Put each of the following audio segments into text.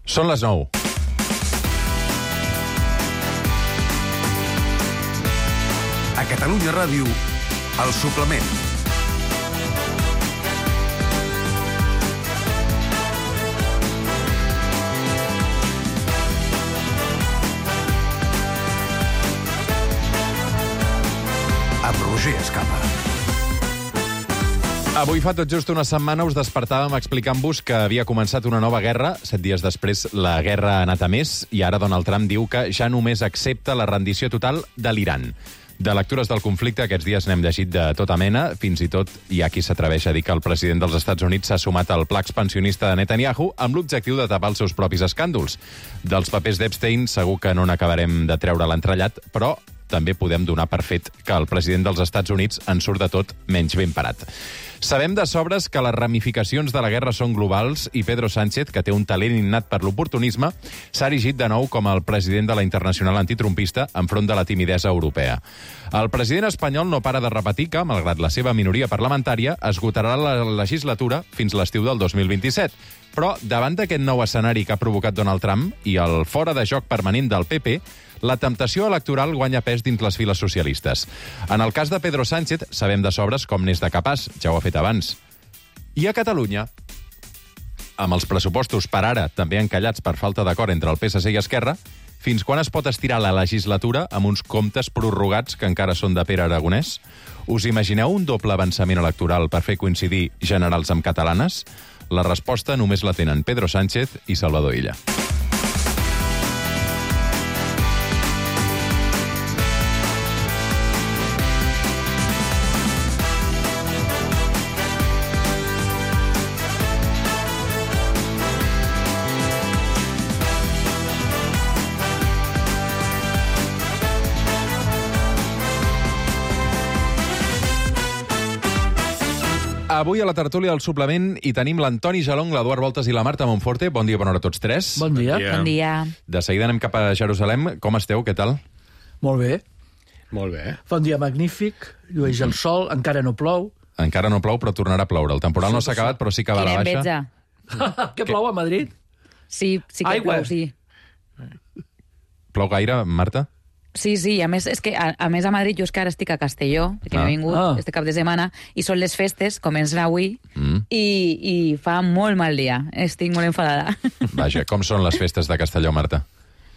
Són les 9. A Catalunya Ràdio, El Suplement. Amb Roger Escapa. Avui fa tot just una setmana us despertàvem explicant-vos que havia començat una nova guerra. 7 dies després la guerra ha anat a més i ara Donald Trump diu que ja només accepta la rendició total de l'Iran. De lectures del conflicte aquests dies n'hem llegit de tota mena. Fins i tot hi ha qui s'atreveix a dir que el president dels Estats Units s'ha sumat al pla expansionista de Netanyahu amb l'objectiu de tapar els seus propis escàndols. Dels papers d'Epstein segur que no n'acabarem de treure l'entrellat, però també podem donar per fet que el president dels Estats Units en surt de tot menys ben parat. Sabem de sobres que les ramificacions de la guerra són globals i Pedro Sánchez, que té un talent innat per l'oportunisme, s'ha erigit de nou com el president de la Internacional Antitrumpista enfront de la timidesa europea. El president espanyol no para de repetir que, malgrat la seva minoria parlamentària, esgotarà la legislatura fins l'estiu del 2027. Però, davant d'aquest nou escenari que ha provocat Donald Trump i el fora de joc permanent del PP, la temptació electoral guanya pes dins les files socialistes. En el cas de Pedro Sánchez, sabem de sobres com n'és de capaç, ja ho ha fet abans. I a Catalunya, amb els pressupostos per ara també encallats per falta d'acord entre el PSC i Esquerra, fins quan es pot estirar la legislatura amb uns comptes prorrogats que encara són de Pere Aragonès? Us imagineu un doble avançament electoral per fer coincidir generals amb catalanes? La resposta només la tenen Pedro Sánchez i Salvador Illa. Avui a la tertúlia del Suplement hi tenim l'Antoni Jalong, l'Eduard Voltes i la Marta Monforte. Bon dia, bona hora a tots tres. Bon dia. Bon dia. De seguida anem cap a Jerusalem. Com esteu? Què tal? Molt bé. Molt bé. Fa un dia magnífic, llueix el sol, encara no plou. Encara no plou, però tornarà a ploure. El temporal no s'ha acabat, però sí que va a la Quina baixa. enveja. Que plou a Madrid? Sí que Aigua. plou, sí. Plou gaire, Marta? Sí, a més, és que a més a Madrid, jo és que ara estic a Castelló, que m'he vingut este cap de setmana, i són les festes, comencen avui, i fa molt mal dia. Estic molt enfadada. Vaja, com són les festes de Castelló, Marta?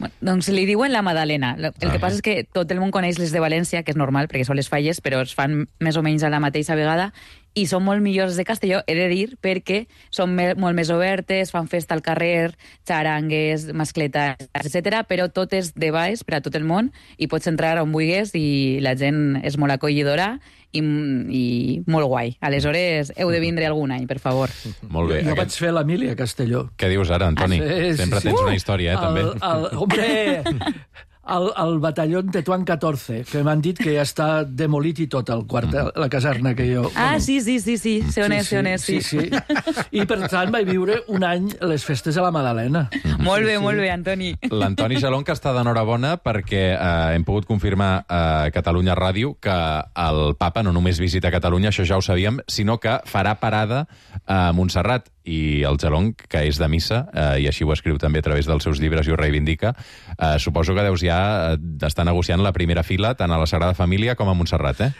Bueno, doncs li diuen la Madalena. El que passa és que tot el món coneix les de València, que és normal, perquè són les falles, però es fan més o menys a la mateixa vegada, i són molt millors de Castelló, he de dir, perquè són molt més obertes, fan festa al carrer, xarangues, mascletes, etc. Però tot és de baix per a tot el món, i pots entrar on vulguis, i la gent és molt acollidora i molt guai. Aleshores, heu de vindre algun any, per favor. Molt bé. Jo vaig fer l'Emília a Castelló. Què dius ara, Antoni? Sí. Sempre tens una història, també. Hombre, el batalló Tetuán 14, que m'han dit que ja està demolit i tot, el quartel, la caserna que jo... Sí. Sé on és, sí. Sí. I per tant vaig viure un any les festes de la Madalena. Molt bé, Antoni. L'Antoni Jalong, que està d'enhorabona perquè hem pogut confirmar a Catalunya Ràdio que el papa no només visita Catalunya, això ja ho sabíem, sinó que farà parada a Montserrat. I el Jalong, que és de missa, i així ho escriu també a través dels seus llibres i ho reivindica, suposo que deus ja estar negociant la primera fila tant a la Sagrada Família com a Montserrat, eh?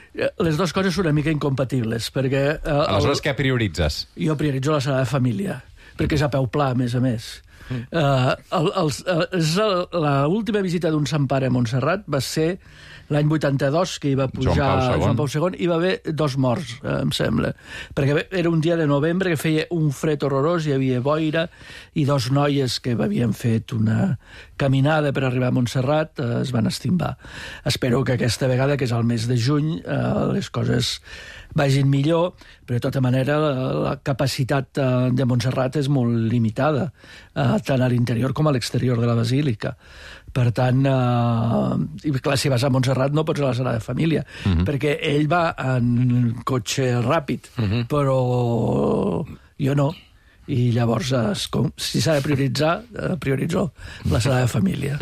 Les dues coses són una mica incompatible, perquè... Aleshores, què prioritzes? Jo prioritzo la Sagrada Família, perquè és a peu pla, a més. L'última visita d'un Sant Pare a Montserrat va ser l'any 82, que hi va pujar Joan Pau II, hi va haver 2 morts, em sembla. Perquè era un dia de novembre que feia un fred horrorós, hi havia boira, i 2 noies que havien fet una caminada per arribar a Montserrat es van estimbar. Espero que aquesta vegada, que és el mes de juny, les coses vagin millor, però de tota manera la capacitat de Montserrat és molt limitada, tant a l'interior com a l'exterior de la basílica. Per tant, clar, si vas a Montserrat no pots anar a la Sagrada Família, perquè ell va en cotxe ràpid, però jo no. I llavors, si s'ha de prioritzar, prioritzo la Sagrada Família.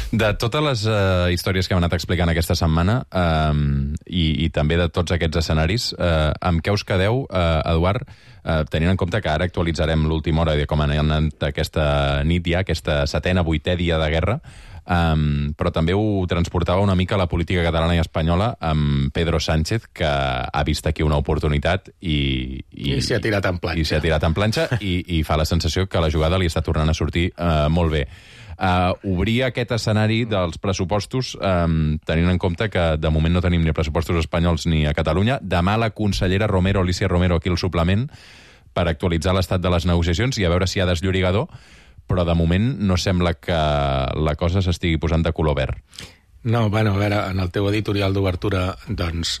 De totes les històries que hem anat explicant aquesta setmana i també de tots aquests escenaris, amb què us quedeu, Eduard, tenint en compte que ara actualitzarem l'última hora de com ha anat aquesta nit ja, aquesta setena, vuitè dia de guerra, però també ho transportava una mica a la política catalana i espanyola amb Pedro Sánchez, que ha vist aquí una oportunitat i s'hi ha tirat en planxa. I s'hi ha tirat en planxa i fa la sensació que la jugada li està tornant a sortir molt bé. Obrir aquest escenari dels pressupostos, tenint en compte que de moment no tenim ni pressupostos espanyols ni a Catalunya. Demà la consellera Alicia Romero, aquí al suplement, per actualitzar l'estat de les negociacions i a veure si hi ha desllorigador, però de moment no sembla que la cosa s'estigui posant de color verd. No, bueno, a veure, en el teu editorial d'obertura, doncs,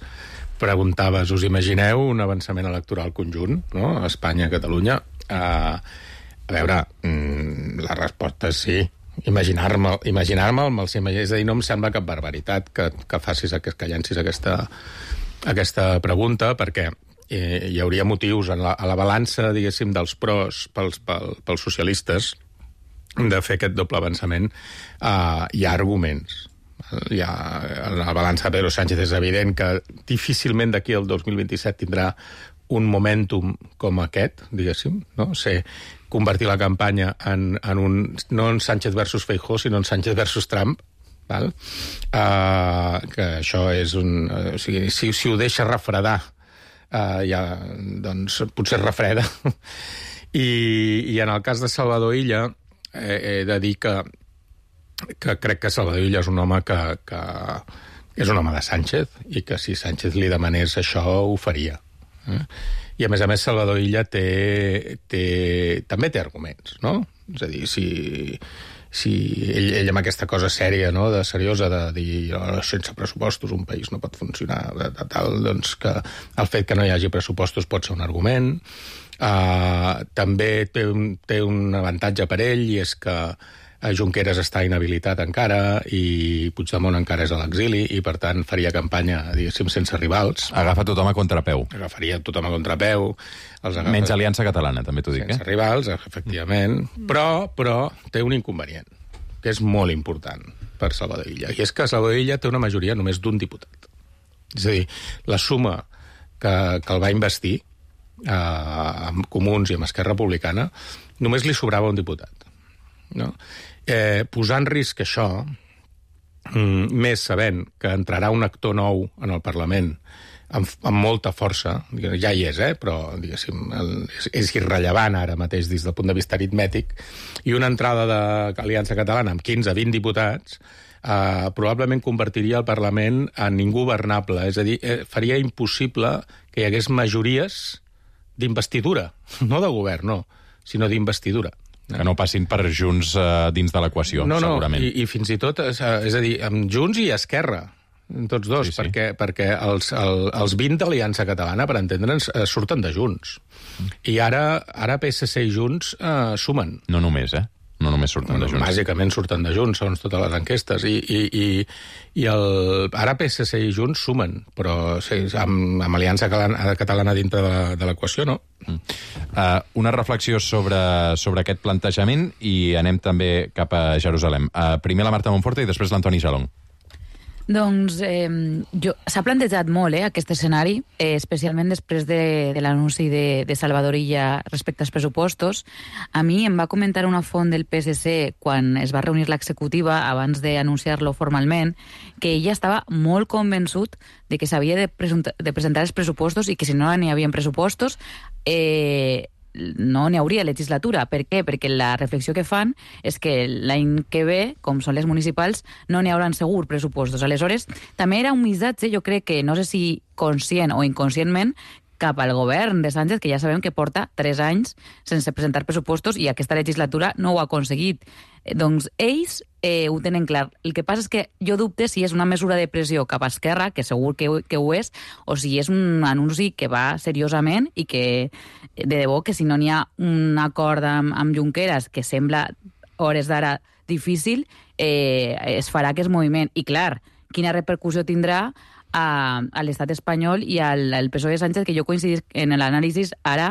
preguntaves, us imagineu un avançament electoral conjunt, no?, a Espanya, a Catalunya? A veure, la resposta és sí. Imaginar-me'l, és a dir, no em sembla cap barbaritat que llencis aquesta pregunta, perquè hi hauria motius a la balança, diguéssim, dels pros pels socialistes de fer aquest doble avançament. Hi ha arguments. La balança de Pedro Sánchez és evident que difícilment d'aquí al 2027 tindrà un momentum com aquest, diguéssim, no? Convertir la campanya en un, no en Sánchez versus Feijóo, sinó en Sánchez versus Trump, val? Que això és un... O sigui, si ho deixa refredar, ja, doncs potser refreda. I en el cas de Salvador Illa, he de dir que crec que Salvador Illa és un home que és un home de Sánchez i que si Sánchez li demanés això ho faria. I a més Salvador Illa també té arguments, no? És a dir, si ell amb aquesta cosa sèria, no?, seriosa de dir sense pressupostos un país no pot funcionar, doncs que el fet que no hi hagi pressupostos pot ser un argument. També té un avantatge per ell, i és que Junqueras està inhabilitat encara i Puigdemont encara és a l'exili i, per tant, faria campanya, diguéssim, sense rivals. Agafa tothom a contrapeu. Agafaria tothom a contrapeu. Menys Aliança Catalana, també t'ho dic. Sense rivals, efectivament. Però té un inconvenient, que és molt important per Salvador Illa, i és que Salvador Illa té una majoria només d'un diputat. És a dir, la suma que el va investir amb Comuns i amb Esquerra Republicana, només li sobrava un diputat. No? Posar en risc això, més sabent que entrarà un actor nou en el Parlament amb molta força, ja hi és, però diguéssim, és irrellevant ara mateix des del punt de vista aritmètic, i una entrada d'Aliança Catalana amb 15-20 diputats probablement convertiria el Parlament en ingovernable, és a dir, faria impossible que hi hagués majories d'investidura, no de govern, no, sinó d'investidura. Que no passin per Junts dins de l'equació, segurament. I fins i tot, és a dir, amb Junts i Esquerra, tots dos, sí. perquè els 20 d'Aliança Catalana, per entendre'ns, surten de Junts. I ara PSC i Junts sumen. No només, No només surten de Junts. Bàsicament surten de Junts, segons totes les enquestes. I ara PSC i Junts sumen, però sí, amb Aliança Catalana dintre de l'equació, no? Una reflexió sobre aquest plantejament i anem també cap a Jerusalem. Primer la Marta Monforte i després l'Antoni Jalón. Doncs s'ha plantejat molt aquest escenari, especialment després de l'anunci de Salvador Illa respecte als pressupostos. A mi em va comentar una font del PSC quan es va reunir l'executiva abans d'anunciar-lo formalment que ella estava molt convençut de que s'havia de presentar els pressupostos i que si no n'hi havia pressupostos no n'hi hauria legislatura. Per què? Perquè la reflexió que fan és que l'any que ve, com són les municipals, no n'hi hauran segur pressupostos. Aleshores, també era un missatge, jo crec que, no sé si conscient o inconscientment, cap al govern de Sánchez, que ja sabem que porta 3 anys sense presentar pressupostos i aquesta legislatura no ho ha aconseguit. Doncs ells ho tenen clar. El que passa és que jo dubte si és una mesura de pressió cap a Esquerra, que segur que ho és, o si és un anunci que va seriosament i que, de debò, que si no n'hi ha un acord amb Junqueras, que sembla, hores d'ara, difícil, es farà aquest moviment. I clar, quina repercussió tindrà a l'estat espanyol i al PSOE de Sánchez, que jo coincidís en l'anàlisi ara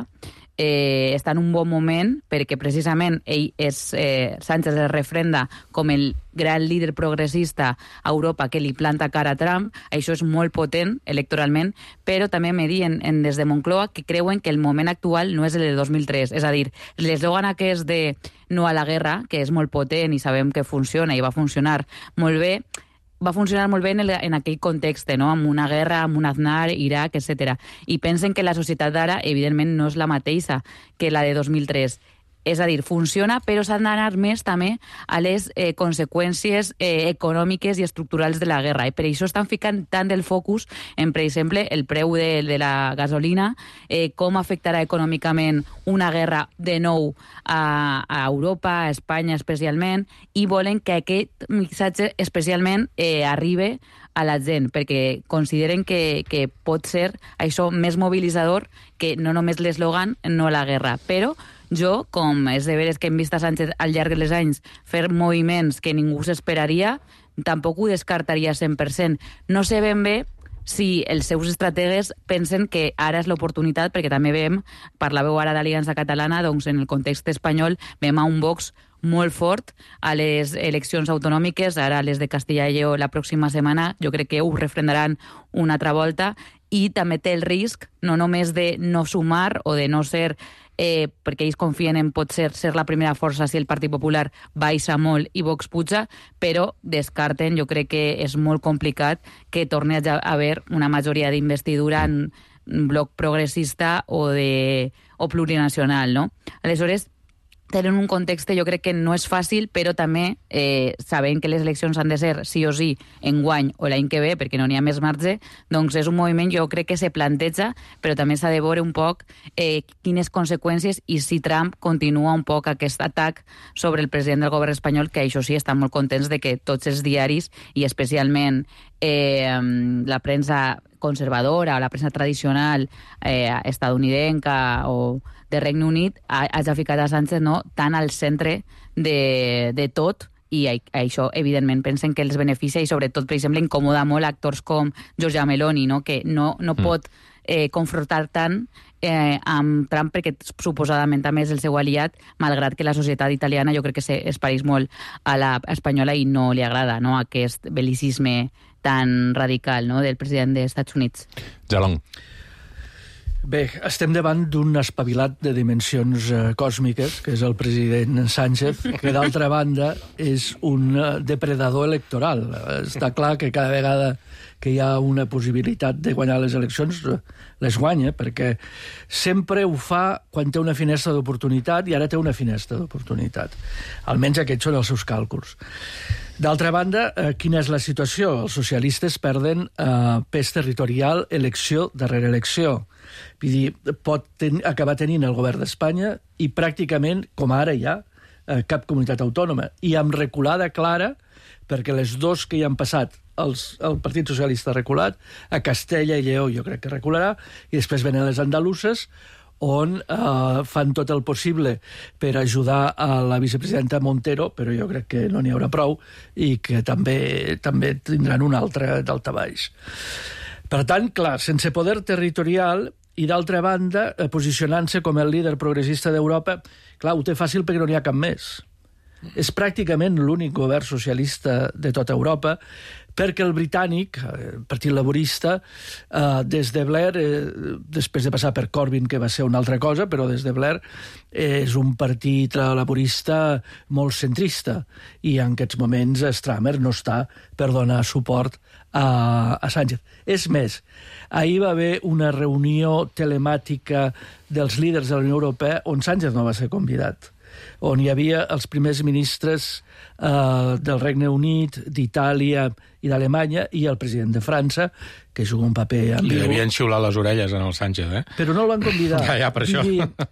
està en un bon moment perquè precisament Sánchez es refrenda com el gran líder progressista a Europa que li planta cara a Trump. Això és molt potent electoralment, però també me diuen des de Moncloa que creuen que el moment actual no és el de 2003. És a dir, l'eslògan aquest de no a la guerra, que és molt potent i sabem que funciona i va funcionar molt bé, va funcionar molt bé en aquell context, no? Amb una guerra, amb un Aznar, Iraq, etc. I pensen que la societat d'ara, evidentment, no és la mateixa que la de 2003. És a dir, funciona, però s'han d'anar més també a les conseqüències econòmiques i estructurals de la guerra. I per això estan ficant tant del focus en, per exemple, el preu de la gasolina, com afectarà econòmicament una guerra de nou a Europa, a Espanya especialment, i volen que aquest missatge especialment arribi a la gent, perquè consideren que pot ser això més mobilitzador que no només l'eslògan no a la guerra. Però jo, com és de veres que hem vist a Sánchez al llarg dels anys fer moviments que ningú s'esperaria, tampoc ho descartaria 100%. No sé ben bé si els seus estrategues pensen que ara és l'oportunitat, perquè també veiem, parlàveu ara d'Aliança Catalana, doncs en el context espanyol veiem a un Vox molt fort a les eleccions autonòmiques, ara les de Castilla i Lleó la pròxima setmana, jo crec que ho refrendaran una altra volta, i també té el risc no només de no sumar o de no ser perquè ells confien en potser ser la primera força si el Partit Popular baixa molt i Vox puja, però descarten, jo crec que és molt complicat que torni a haver una majoria d'investidura en un bloc progressista o plurinacional, no? Aleshores, tenen un context, jo crec que no és fàcil, però també sabent que les eleccions han de ser sí o sí enguany o l'any que ve, perquè no n'hi ha més marge, doncs és un moviment, jo crec que se planteja, però també s'ha de veure un poc quines conseqüències i si Trump continua un poc aquest atac sobre el president del govern espanyol, que això sí, estan molt contents de que tots els diaris, i especialment la premsa conservadora o la premsa tradicional estadounidenca o de Regne Unit hagi ficat a Sánchez tan al centre de tot, i això, evidentment, pensen que els beneficia i, sobretot, per exemple, incomoda molt actors com Giorgia Meloni, que no pot confrontar tant amb Trump perquè suposadament també és el seu aliat, malgrat que la societat italiana jo crec que es pareix molt a la espanyola i no li agrada aquest bel·licisme tan radical del president dels Estats Units. Jalong. Bé, estem davant d'un espavilat de dimensions còsmiques, que és el president Sánchez, que d'altra banda és un depredador electoral. Està clar que cada vegada que hi ha una possibilitat de guanyar les eleccions, les guanya, perquè sempre ho fa quan té una finestra d'oportunitat, i ara té una finestra d'oportunitat. Almenys aquests són els seus càlculs. D'altra banda, quina és la situació? Els socialistes perden pes territorial elecció darrere elecció. Vull dir, pot acabar tenint el govern d'Espanya i pràcticament, com ara hi ha, cap comunitat autònoma. I amb reculada clara, perquè les dos que hi han passat, el Partit Socialista ha reculat, a Castella i Lleó jo crec que recularà, i després venen les andaluses, on fan tot el possible per ajudar a la vicepresidenta Montero, però jo crec que no n'hi haurà prou, i que també tindran un altre daltabaix. Per tant, clar, sense poder territorial i, d'altra banda, posicionant-se com el líder progressista d'Europa, clar, ho té fàcil perquè no n'hi ha cap més. És pràcticament l'únic govern socialista de tota Europa, perquè el britànic, el Partit Laborista, des de Blair, després de passar per Corbyn, que va ser una altra cosa, però des de Blair és un partit laborista molt centrista, i en aquests moments Stramer no està per donar suport a Sánchez. És més, ahir va haver una reunió telemàtica dels líders de la Unió Europea on Sánchez no va ser convidat, on hi havia els primers ministres del Regne Unit, d'Itàlia i d'Alemanya, i el president de França, que juga un paper ambigu. Li devien xiular les orelles en el Sánchez, Però no el van convidar. Ja, per això.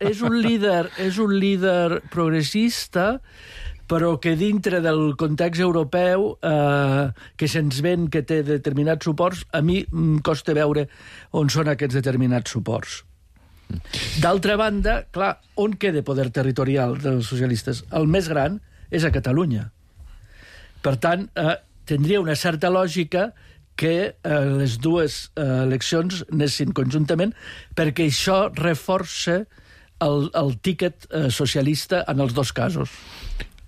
És un líder progressista, però que dintre del context europeu, que se'ns ven que té determinats suports, a mi em costa veure on són aquests determinats suports. D'altra banda, clar, on queda poder territorial dels socialistes? El més gran és a Catalunya. Per tant, tindria una certa lògica que les dues eleccions anessin conjuntament, perquè això reforça el tíquet socialista en els dos casos.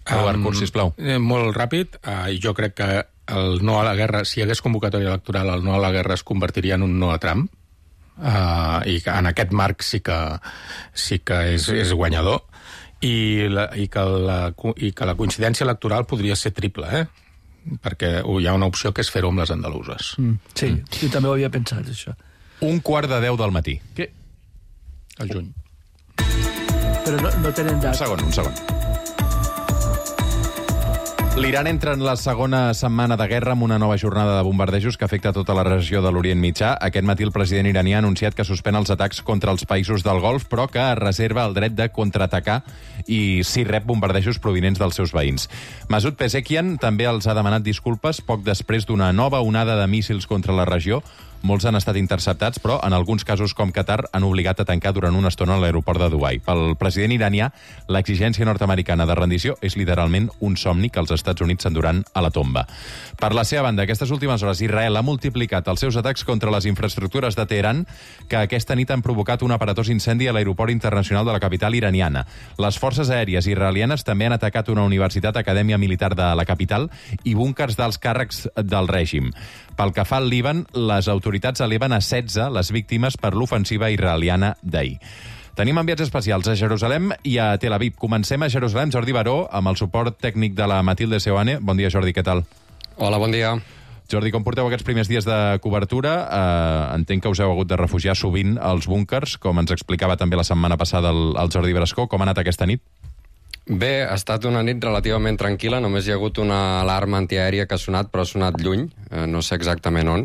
Robert Curs, sisplau. Molt ràpid. Jo crec que el no a la guerra, si hi hagués convocatòria electoral, el no a la guerra es convertiria en un no a Trump. I que en aquest marc sí que és guanyador. I que la coincidència electoral podria ser triple, perquè hi ha una opció que és fer-ho amb les andaluses. Sí, jo també ho havia pensat, això. 1:45 del matí. Què? Al juny. Però no tenen data. Un segon. L'Iran entra en la segona setmana de guerra amb una nova jornada de bombardejos que afecta tota la regió de l'Orient Mitjà. Aquest matí el president iranià ha anunciat que suspèn els atacs contra els països del Golf, però que reserva el dret de contraatacar i si rep bombardejos provinents dels seus veïns. Masoud Pezeshkian també els ha demanat disculpes poc després d'una nova onada de míssils contra la regió. Molts han estat interceptats, però en alguns casos, com Qatar, han obligat a tancar durant una estona a l'aeroport de Dubai. Pel president iranià, l'exigència nord-americana de rendició és literalment un somni que els Estats Units s'enduran a la tomba. Per la seva banda, aquestes últimes hores, Israel ha multiplicat els seus atacs contra les infraestructures de Teheran, que aquesta nit han provocat un aparatós incendi a l'aeroport internacional de la capital iraniana. Les forces aèries israelianes també han atacat una universitat acadèmia militar de la capital i búnkers d'alts càrrecs del règim. Pel que fa al Líban, les autoritats eleven a 16 les víctimes per l'ofensiva israeliana d'ahir. Tenim enviats especials a Jerusalem i a Tel Aviv. Comencem a Jerusalem, Jordi Baró, amb el suport tècnic de la Matilde Seoane. Bon dia, Jordi, què tal? Hola, bon dia. Jordi, com porteu aquests primers dies de cobertura? Entenc que us heu hagut de refugiar sovint als búnkers, com ens explicava també la setmana passada el Jordi Brascó. Com ha anat aquesta nit? Bé, ha estat una nit relativament tranquil·la, només hi ha hagut una alarma antiaèria que ha sonat, però ha sonat lluny, no sé exactament on,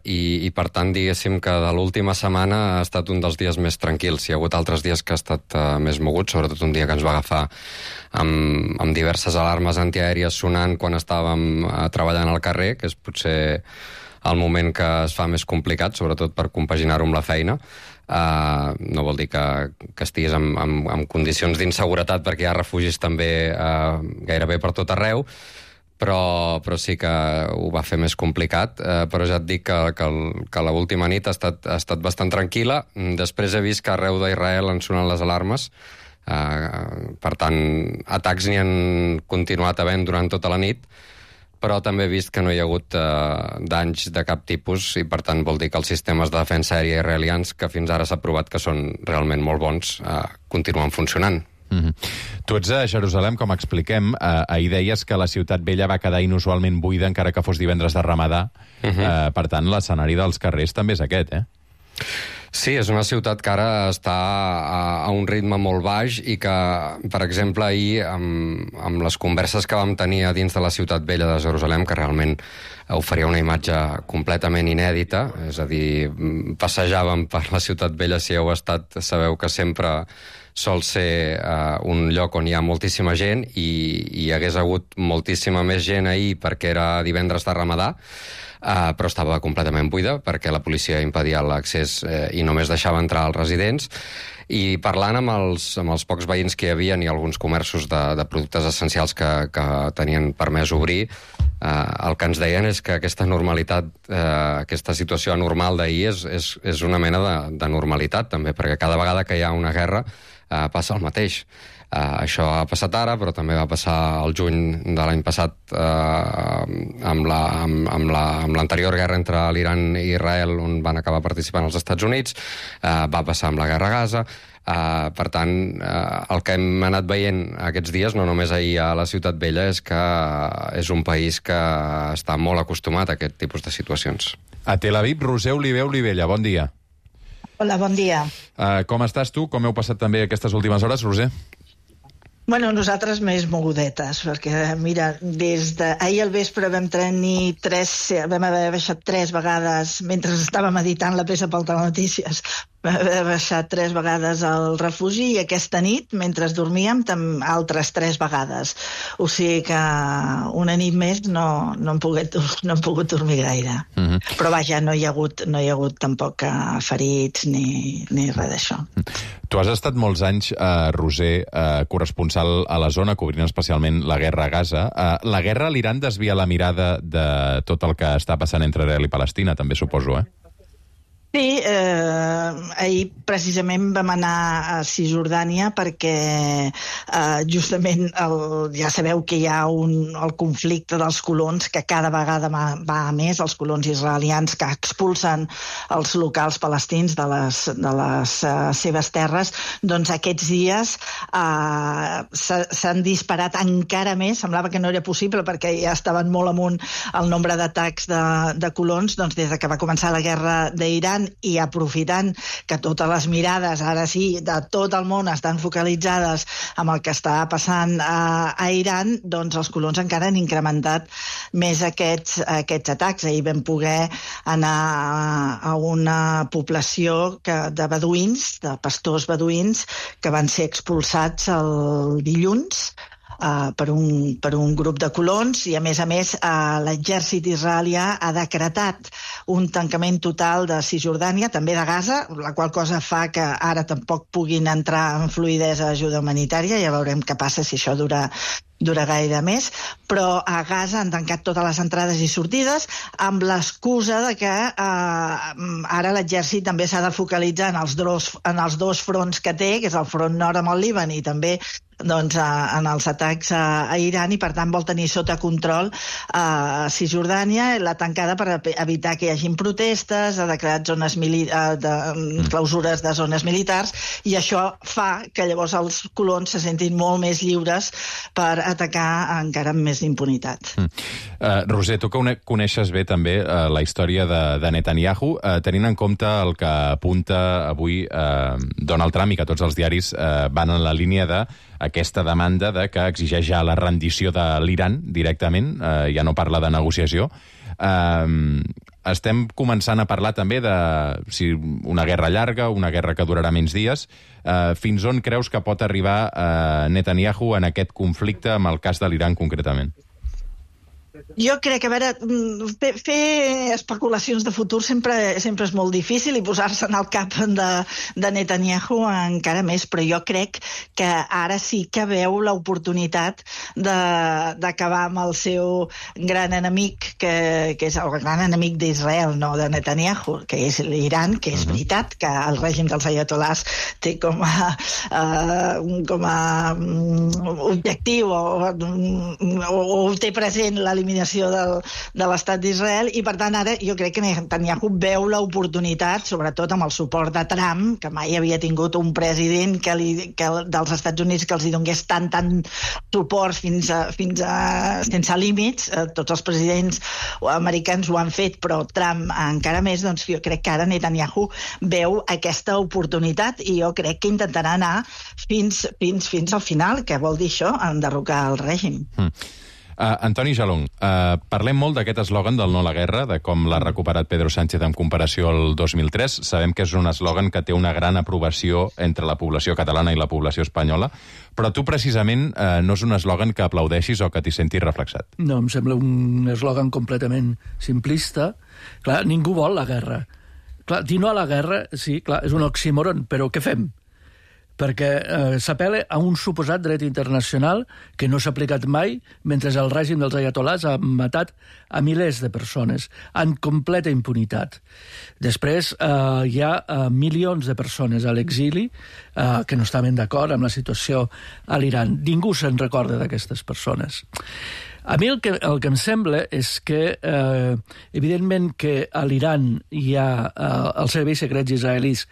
i per tant, diguéssim que de l'última setmana ha estat un dels dies més tranquils. Hi ha hagut altres dies que ha estat més mogut, sobretot un dia que ens va agafar amb diverses alarmes antiaèries sonant quan estàvem treballant al carrer, que és potser el moment que es fa més complicat, sobretot per compaginar-ho amb la feina. No vol dir que estiguis en condicions d'inseguretat, perquè hi ha refugis també gairebé per tot arreu, però sí que ho va fer més complicat. Però ja et dic que l'última nit ha estat bastant tranquil·la. Després he vist que arreu d'Israel han sonat les alarmes. Per tant, atacs n'hi han continuat havent durant tota la nit, però també he vist que no hi ha hagut danys de cap tipus i, per tant, vol dir que els sistemes de defensa aèria israelians, que fins ara s'ha provat que són realment molt bons, continuen funcionant. Tu ets a Jerusalem, com expliquem. Ahir deies que la ciutat vella va quedar inusualment buida, encara que fos divendres de Ramadà. Per tant, l'escenari dels carrers també és aquest, Sí, és una ciutat que ara està a un ritme molt baix i que, per exemple, ahir, amb les converses que vam tenir a dins de la ciutat vella de Jerusalem, que realment oferia una imatge completament inèdita, és a dir, passejàvem per la ciutat vella, si heu estat, sabeu que sempre sol ser un lloc on hi ha moltíssima gent i hi hagués hagut moltíssima més gent ahir perquè era divendres de Ramadà, però estava completament buida perquè la policia impedia l'accés i només deixava entrar els residents. I parlant amb els pocs veïns que hi havia i alguns comerços de productes essencials que tenien permès obrir, el que ens deien és que aquesta normalitat, aquesta situació anormal d'ahir és una mena de normalitat també, perquè cada vegada que hi ha una guerra passa el mateix. Això ha passat ara, però també va passar el juny de l'any passat amb l'anterior guerra entre l'Iran i Israel, on van acabar participant els Estats Units, va passar amb la guerra a Gaza. Per tant, el que hem anat veient aquests dies, no només ahir a la Ciutat Vella, és que és un país que està molt acostumat a aquest tipus de situacions. A Tel Aviv, Roser Olivella, bon dia. Hola, bon dia. Com estàs tu? Com heu passat també aquestes últimes hores, Roser? Bueno, nosaltres més mogudetes, perquè, mira, des d'ahir al vespre vam haver baixat 3 vegades, mentre estàvem editant la peça pel Telenotícies, vam haver baixat 3 vegades al refugi i aquesta nit, mentre dormíem, altres 3 vegades. O sigui que una nit més no hem pogut dormir gaire. Però vaja, no hi ha hagut tampoc ferits ni res d'això. Tu has estat molts anys, Roser, corresponsal a la zona, cobrint especialment la guerra a Gaza. La guerra a l'Iran desvia la mirada de tot el que està passant entre Israel i Palestina, també suposo, Sí, ahir precisament vam anar a Cisjordània perquè justament ja sabeu que hi ha el conflicte dels colons que cada vegada va a més, els colons israelians que expulsen els locals palestins de les seves terres. Doncs aquests dies s'han disparat encara més, semblava que no era possible perquè ja estaven molt amunt el nombre d'atacs de colons, doncs des que va començar la guerra d'Iran i aprofitant que totes les mirades, ara sí, de tot el món estan focalitzades amb el que està passant a Iran, doncs els colons encara han incrementat més aquests atacs. Ahir vam poder anar a una població de beduïns, de pastors beduïns, que van ser expulsats el dilluns per un grup de colons i, a més, l'exèrcit israelià ha decretat un tancament total de Cisjordània, també de Gaza, la qual cosa fa que ara tampoc puguin entrar en fluïdesa ajuda humanitària. Ja veurem què passa si això dura gaire més, però a Gaza han tancat totes les entrades i sortides amb l'excusa de que ara l'exèrcit també s'ha de focalitzar en els dos fronts que té, que és el front nord amb el Líban i també en els atacs a Iran, i per tant vol tenir sota control Cisjordània, la tancada per evitar que hi hagin protestes, ha declarat clausures de zones militars, i això fa que llavors els colons se sentin molt més lliures per atacar encara amb més impunitat. Roser, tu que coneixes bé també la història de Netanyahu, tenint en compte el que apunta avui Donald Trump i que tots els diaris van en la línia d'aquesta demanda que exigeix ja la rendició de l'Iran directament, ja no parla de negociació. Estem començant a parlar també de si una guerra llarga, una guerra que durarà menys dies. Fins on creus que pot arribar Netanyahu en aquest conflicte amb el cas de l'Iran concretament? Jo crec que, a veure, fer especulacions de futur sempre és molt difícil, i posar-se en el cap de Netanyahu encara més, però jo crec que ara sí que veu l'oportunitat d'acabar amb el seu gran enemic, que és el gran enemic d'Israel, no de Netanyahu, que és l'Iran, que és veritat que el règim dels ayatolás té com a objectiu o té present l'eliminació de l'estat d'Israel, i per tant ara jo crec que Netanyahu veu l'oportunitat, sobretot amb el suport de Trump, que mai havia tingut un president dels Estats Units que els hi donés tant suport fins a sense límits. Tots els presidents americans ho han fet, però Trump encara més. Doncs jo crec que ara Netanyahu veu aquesta oportunitat, i jo crec que intentarà anar fins al final, que vol dir això, enderrocar el règim. Antoni Jalón, parlem molt d'aquest eslògan del no a la guerra, de com l'ha recuperat Pedro Sánchez en comparació al 2003. Sabem que és un eslògan que té una gran aprovació entre la població catalana i la població espanyola, però tu precisament no és un eslògan que aplaudeixis o que t'hi sentis reflexat. No, em sembla un eslògan completament simplista. Clar, ningú vol la guerra. Clar, dir no a la guerra, sí, clar, és un oxímoron, però què fem? Perquè s'apel·la a un suposat dret internacional que no s'ha aplicat mai, mentre el règim dels ayatolás ha matat a milers de persones en completa impunitat. Després hi ha milions de persones a l'exili que no estaven d'acord amb la situació a l'Iran. Ningú se'n recorda d'aquestes persones. A mi el que em sembla és que, evidentment, que a l'Iran hi ha els serveis secrets israelis,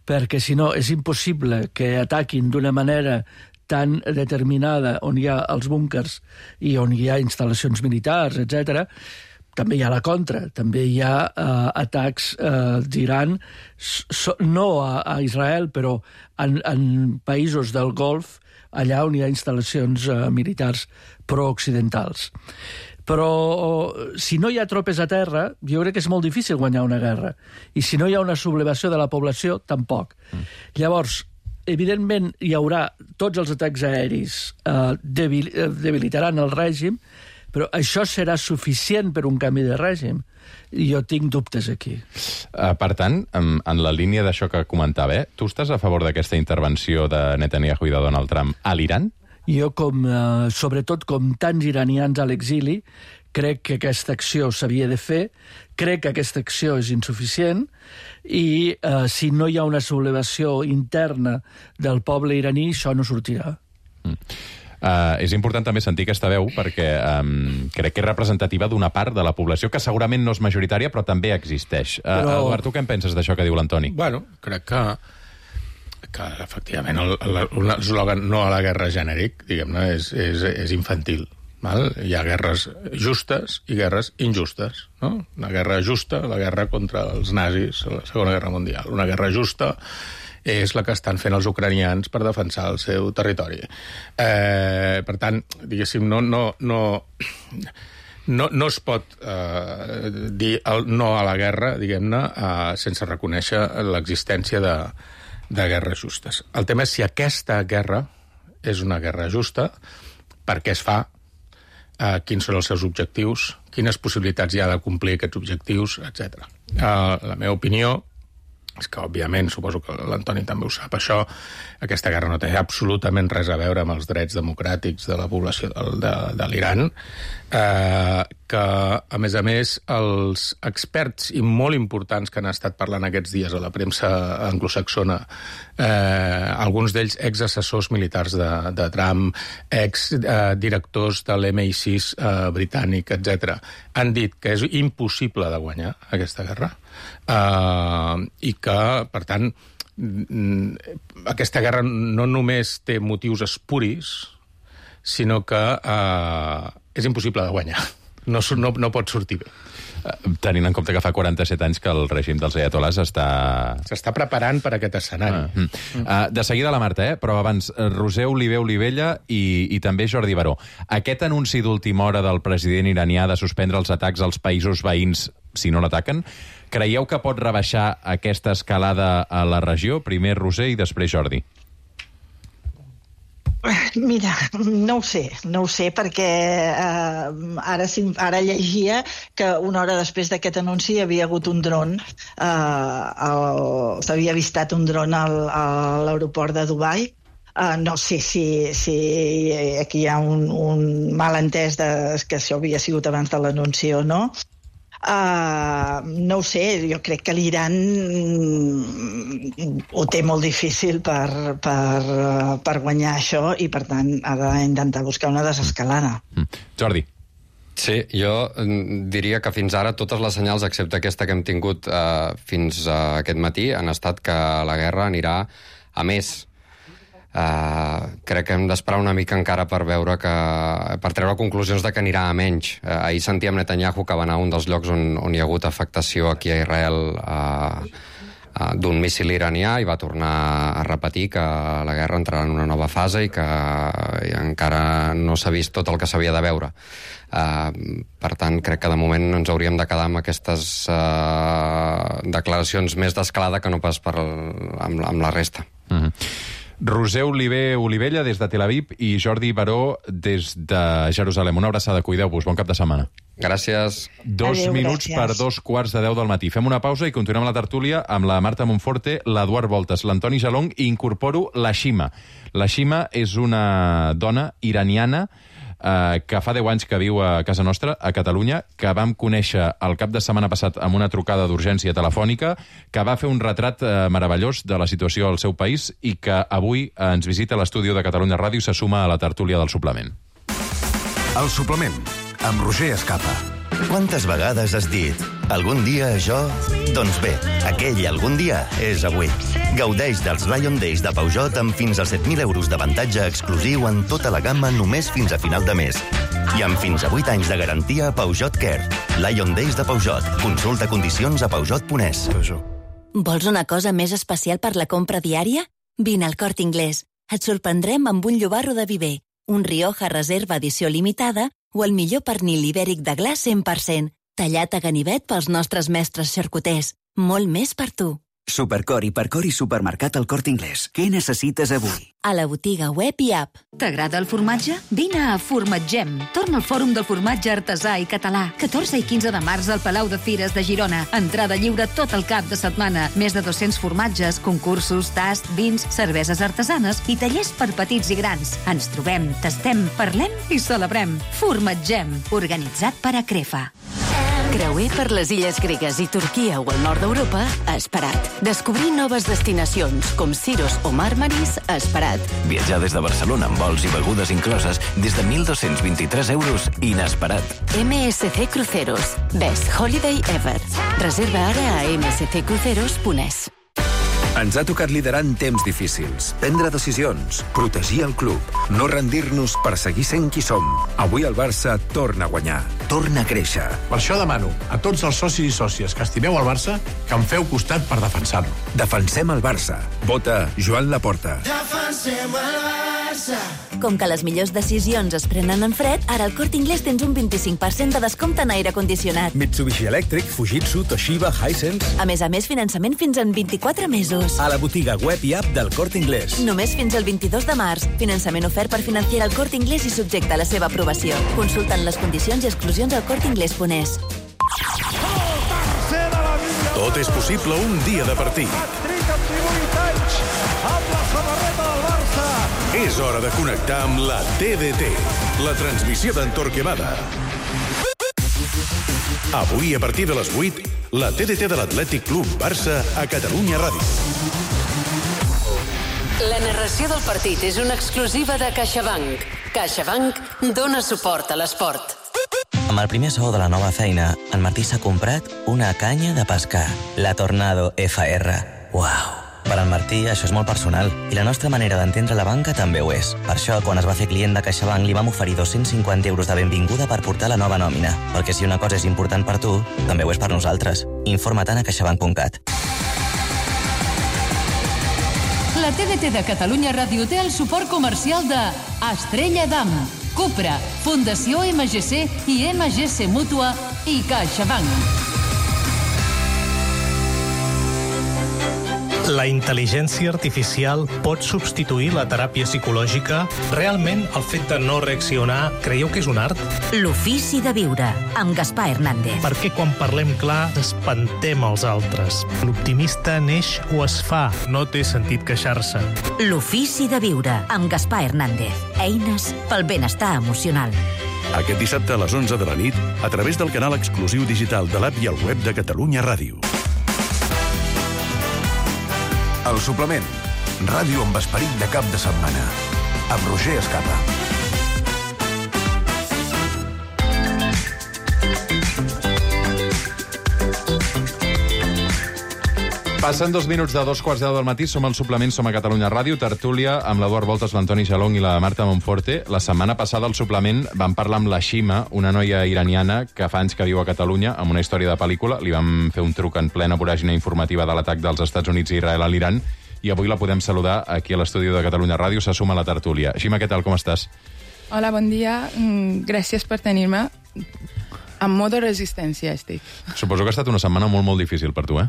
perquè si no és impossible que ataquin d'una manera tan determinada on hi ha els búnkers i on hi ha instal·lacions militars, etc. També hi ha la contra, també hi ha atacs d'Iran, no a Israel, però en països del Golf, allà on hi ha instal·lacions militars prooccidentals. Però si no hi ha tropes a terra, jo crec que és molt difícil guanyar una guerra. I si no hi ha una sublevació de la població, tampoc. Llavors, evidentment, hi haurà tots els atacs aeris debilitaran el règim, però això serà suficient per un canvi de règim? Jo tinc dubtes aquí. Per tant, en la línia d'això que comentava, tu estàs a favor d'aquesta intervenció de Netanyahu i de Donald Trump a l'Iran? Jo, sobretot com tants iranians a l'exili, crec que aquesta acció s'havia de fer, crec que aquesta acció és insuficient i si no hi ha una sublevació interna del poble iraní, això no sortirà. És important també sentir aquesta veu perquè crec que és representativa d'una part de la població que segurament no és majoritària però també existeix. Eduard, tu què en penses d'això que diu l'Antoni? Bueno, crec que efectivament l'eslògan no a la guerra genèric, diguem-ne, és infantil. Val? Hi ha guerres justes i guerres injustes. No? Una guerra justa, la guerra contra els nazis a la Segona Guerra Mundial. Una guerra justa és la que estan fent els ucranians per defensar el seu territori. Per tant, diguéssim, no es pot dir el no a la guerra, diguem-ne, sense reconèixer l'existència de guerres justes. El tema és si aquesta guerra és una guerra justa, per què es fa, quins són els seus objectius, quines possibilitats hi ha de complir aquests objectius, etc. La meva opinió és que, òbviament, suposo que l'Antoni també ho sap, aquesta guerra no té absolutament res a veure amb els drets democràtics de la població de l'Iran, que, a més, els experts i molt importants que han estat parlant aquests dies a la premsa anglosaxona, alguns d'ells exassessors militars de Trump, exdirectors de l'MI6 britànic, etc., han dit que és impossible de guanyar aquesta guerra, i que, per tant, aquesta guerra no només té motius espuris, sinó que és impossible de guanyar. No pot sortir bé. Tenint en compte que fa 47 anys que el règim dels ayatolás s'està preparant per aquest escenari. De seguida la Marta, però abans, Roser Olivella i també Jordi Baró. Aquest anunci d'última hora del president iranià de suspendre els atacs als països veïns si no l'ataquen, creieu que pot rebaixar aquesta escalada a la regió? Primer Roser i després Jordi. Mira, no ho sé, perquè ara llegia que una hora després d'aquest anunci hi havia hagut un dron, s'havia avistat un dron a l'aeroport de Dubai. No sé si aquí hi ha un malentès que això havia sigut abans de l'anunci o no. No ho sé, jo crec que l'Iran ho té molt difícil per guanyar això i, per tant, ha d'intentar buscar una desescalada. Jordi. Sí, jo diria que fins ara totes les senyals, excepte aquesta que hem tingut fins aquest matí, han estat que la guerra anirà a més. Crec que hem d'esperar una mica encara per veure per treure conclusions de que anirà a menys. Ahir sentíem Netanyahu que va anar a un dels llocs on hi ha hagut afectació aquí a Israel d'un míssil iranià i va tornar a repetir que la guerra entrarà en una nova fase i que encara no s'ha vist tot el que s'havia de veure. Per tant, crec que de moment ens hauríem de quedar amb aquestes declaracions més d'escalada que no pas amb la resta. Roser Olivella des de Tel Aviv i Jordi Baró des de Jerusalem. Una abraçada, cuideu-vos, bon cap de setmana. Gràcies. 2 minuts per 2:15 del matí. Fem una pausa i continuem la tertúlia amb la Marta Monforte, l'Eduard Voltes, l'Antoni Jalong i incorporo la Shima. La Shima és una dona iraniana que fa 10 anys que viu a casa nostra, a Catalunya, que vam conèixer el cap de setmana passat amb una trucada d'urgència telefònica, que va fer un retrat meravellós de la situació al seu país i que avui ens visita a l'estudi de Catalunya Ràdio i se suma a la tertúlia del suplement. El suplement, amb Roger Escapa. Quantes vegades has dit algun dia això? Doncs bé, aquell algun dia és avui. Gaudeix dels Lion Days de Peugeot amb fins a 7.000 euros d'avantatge exclusiu en tota la gamma només fins a final de mes. I amb fins a 8 anys de garantia a Peugeot Care. Lion Days de Peugeot. Consulta condicions a Peugeot.es. Vols una cosa més especial per la compra diària? Vine al Corte Inglés. Et sorprendrem amb un llobarro de Viver, un Rioja Reserva edició limitada o el millor pernil ibèric de gla 100%, tallat a ganivet pels nostres mestres xarcuters. Molt més per tu. Supercor, Hipercor i Supermercat El Corte Inglés. Què necessites avui? A la botiga web i app. T'agrada el formatge? Vine a Formatgem. Torna al Fòrum del Formatge Artesà i Català. 14 i 15 de març al Palau de Fires de Girona. Entrada lliure tot el cap de setmana. Més de 200 formatges, concursos, tast, vins, cerveses artesanes i tallers per petits i grans. Ens trobem, tastem, parlem i celebrem. Formatgem, organitzat per Acrefa. Creuer per les illes gregues i Turquia o el nord d'Europa, Esperat. Descobrir noves destinacions, com Siros o Màrmaris, Esperat. Viatjar des de Barcelona amb vols i begudes incloses des de 1.223 euros, inesperat. MSC Cruceros. Best Holiday Ever. Reserva ara a msccruceros.es. Ens ha tocat liderar en temps difícils, prendre decisions, protegir el club, no rendir-nos per seguir sent qui som. Avui el Barça torna a guanyar, torna a créixer. Per això demano a tots els socis i sòcies que estimeu el Barça que em feu costat per defensar-lo. Defensem el Barça. Vota Joan Laporta. Defensem el Barça. Com que les millors decisions es prenen en fred, ara al Corte Inglés tens un 25% de descompte en aire condicionat. Mitsubishi Electric, Fujitsu, Toshiba, Hisense... A més, finançament fins en 24 mesos. A la botiga web i app del Corte Inglés. Només fins al 22 de març. Finançament ofert per Financiera al Corte Inglés i subjecte a la seva aprovació. Consulten les condicions i exclusions al corteinglés.es. Tot és possible un dia de partit. Hat-trick amb 18 anys, amb la samarreta del Barça. És hora de connectar amb la TDT, la transmissió d'en Torquemada. Avui, a partir de les 8, la TDT de l'Atlètic Club Barça a Catalunya Ràdio. La narració del partit és una exclusiva de CaixaBank. CaixaBank dona suport a l'esport. Amb el primer sou de la nova feina, en Martí s'ha comprat una canya de pescar, la Tornado FR. Uau! Per al Martí això és molt personal i la nostra manera d'entendre la banca també ho és. Per això, quan es va fer client de CaixaBank, li vam oferir 250 euros de benvinguda per portar la nova nòmina. Perquè si una cosa és important per tu, també ho és per nosaltres. Informa-te'n a caixabank.cat. La TDT de Catalunya Ràdio té el suport comercial de Estrella Damm, Cupra, Fundació MGC i MGC Mútua i CaixaBank. La intel·ligència artificial pot substituir la teràpia psicològica? Realment, el fet de no reaccionar, creieu que és un art? L'ofici de viure, amb Gaspar Hernández. Per què quan parlem clar espantem els altres? L'optimista neix o es fa, no té sentit queixar-se. L'ofici de viure, amb Gaspar Hernández. Eines pel benestar emocional. Aquest dissabte a les 11 de la nit, a través del canal exclusiu digital de l'app i el web de Catalunya Ràdio. El suplement. Ràdio amb esperit de cap de setmana. Amb Roger Escapa. Passen 2 minuts de 2:15 del matí, som al suplement, som a Catalunya Ràdio, tertúlia amb l'Eduard Voltes, l'Antoni Jalong i la Marta Monforte. La setmana passada al suplement vam parlar amb la Shima, una noia iraniana que fa anys que viu a Catalunya, amb una història de pel·lícula. Li vam fer un truc en plena voràgine informativa de l'atac dels Estats Units i Israel a l'Iran, i avui la podem saludar aquí a l'estudi de Catalunya Ràdio. Se suma a la tertúlia. Shima, què tal, com estàs? Hola, bon dia. Gràcies per tenir-me. En modo resistència estic. Suposo que ha estat una setmana molt, molt difícil per tu, eh?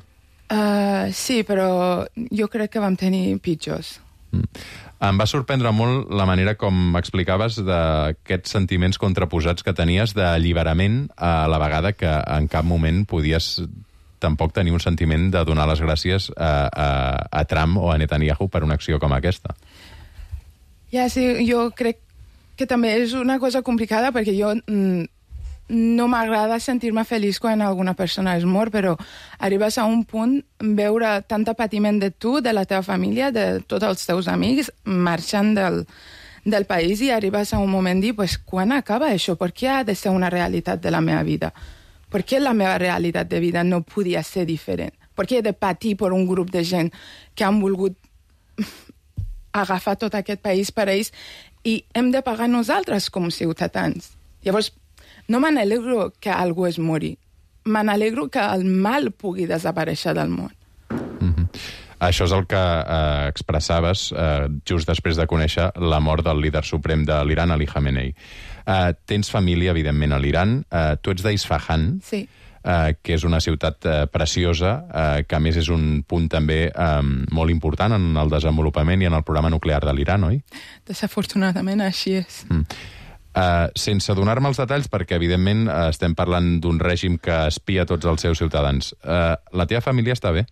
Sí, però jo crec que vam tenir pitjors. Em va sorprendre molt la manera com explicaves d'aquests sentiments contraposats que tenies d'alliberament a la vegada que en cap moment podies tampoc tenir un sentiment de donar les gràcies a Trump o a Netanyahu per una acció com aquesta. Ja, sí, jo crec que també és una cosa complicada perquè jo no m'agrada sentir-me feliç quan alguna persona es mor, però arribes a un punt veure tanta patiment de tu, de la teva família, de tots els teus amics, marxant del país, i arribes a un moment de dir, pues, quan acaba això? Per què ha de ser una realitat de la meva vida? Per què la meva realitat de vida no podia ser diferent? Per què he de patir per un grup de gent que han volgut agafar tot aquest país per ells i hem de pagar nosaltres com ciutadans? Llavors, no me n'alegro que algú es mori. Me n'alegro que el mal pugui desaparèixer del món. Això és el que expressaves just després de conèixer la mort del líder suprem de l'Iran, Ali Khamenei. Tens família, evidentment, a l'Iran. Tu ets d'Isfahan. Sí. que és una ciutat preciosa, que a més és un punt també molt important en el desenvolupament i en el programa nuclear de l'Iran, oi? Desafortunadament així és. Sense donar-me els detalls, perquè evidentment estem parlant d'un règim que espia tots els seus ciutadans. La teva família està bé?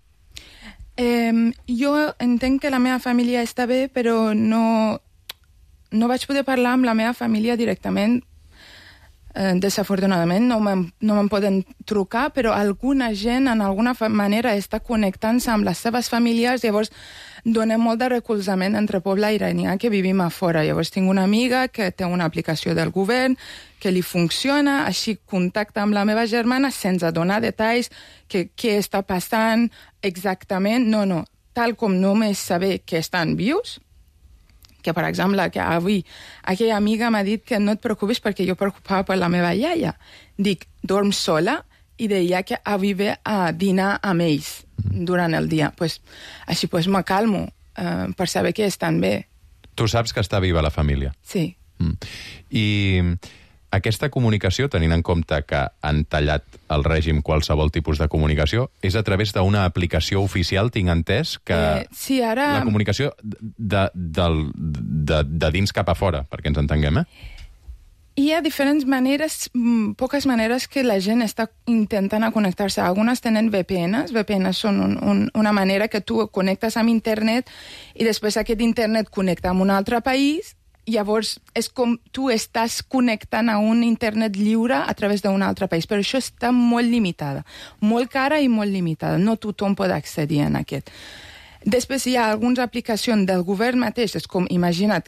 Jo entenc que la meva família està bé, però no vaig poder parlar amb la meva família directament. Desafortunadament no me'n poden trucar, però alguna gent en alguna manera està connectant-se amb les seves famílies, llavors donem molt de recolzament entre poble iranià que vivim a fora. Llavors tinc una amiga que té una aplicació del govern que li funciona, així contacta amb la meva germana sense donar detalls, què està passant exactament. No, tal com només saber que estan vius, que, per exemple, que avui aquella amiga m'ha dit que no et preocupis perquè jo preocupava per la meva iaia. Dic, dorm sola? I deia que avui ve a dinar amb ells durant el dia. Així me calmo per saber que estan bé. Tu saps que està viva la família? Sí. I aquesta comunicació, tenint en compte que han tallat el règim qualsevol tipus de comunicació, és a través d'una aplicació oficial, tinc entès, que sí, ara... la comunicació de dins cap a fora, perquè ens entenguem, Hi ha diferents maneres, poques maneres que la gent està intentant a connectar-se. Algunes tenen VPNs. VPNs són una manera que tu connectes amb internet i després aquest internet connecta amb un altre país. Llavors, és com tu estàs connectant a un internet lliure a través d'un altre país, però això està molt limitada, molt cara i molt limitada. No tothom pot accedir a aquest. Després hi ha algunes aplicacions del govern mateix, és com, imagina't,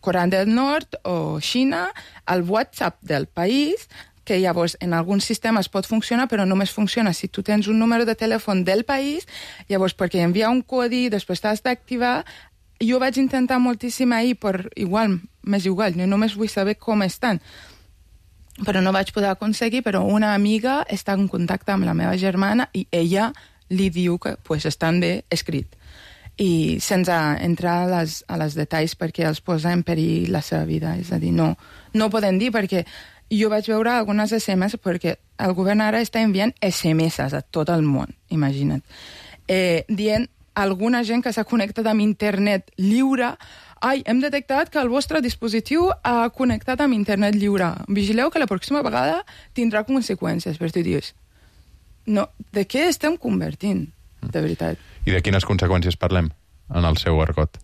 Corea del Nord o Xina, el WhatsApp del país, que llavors en alguns sistemes pot funcionar, però només funciona si tu tens un número de telèfon del país, llavors perquè envia un codi, després t'has d'activar. Jo vaig intentar moltíssim ahir, m'és igual, jo només vull saber com estan. Però no vaig poder aconseguir, però una amiga està en contacte amb la meva germana i ella li diu que estan bé escrit. I sense entrar a les detalls perquè els posa en perill la seva vida. És a dir, no poden dir, perquè jo vaig veure algunes SMS, perquè el govern ara està enviant SMS a tot el món, imagina't. Dient alguna gent que s'ha connectat amb internet lliure, hem detectat que el vostre dispositiu ha connectat amb internet lliure. Vigileu que la pròxima vegada tindrà conseqüències, per tu dius. No, de què estem convertint, de veritat? I de quines conseqüències parlem en el seu argot?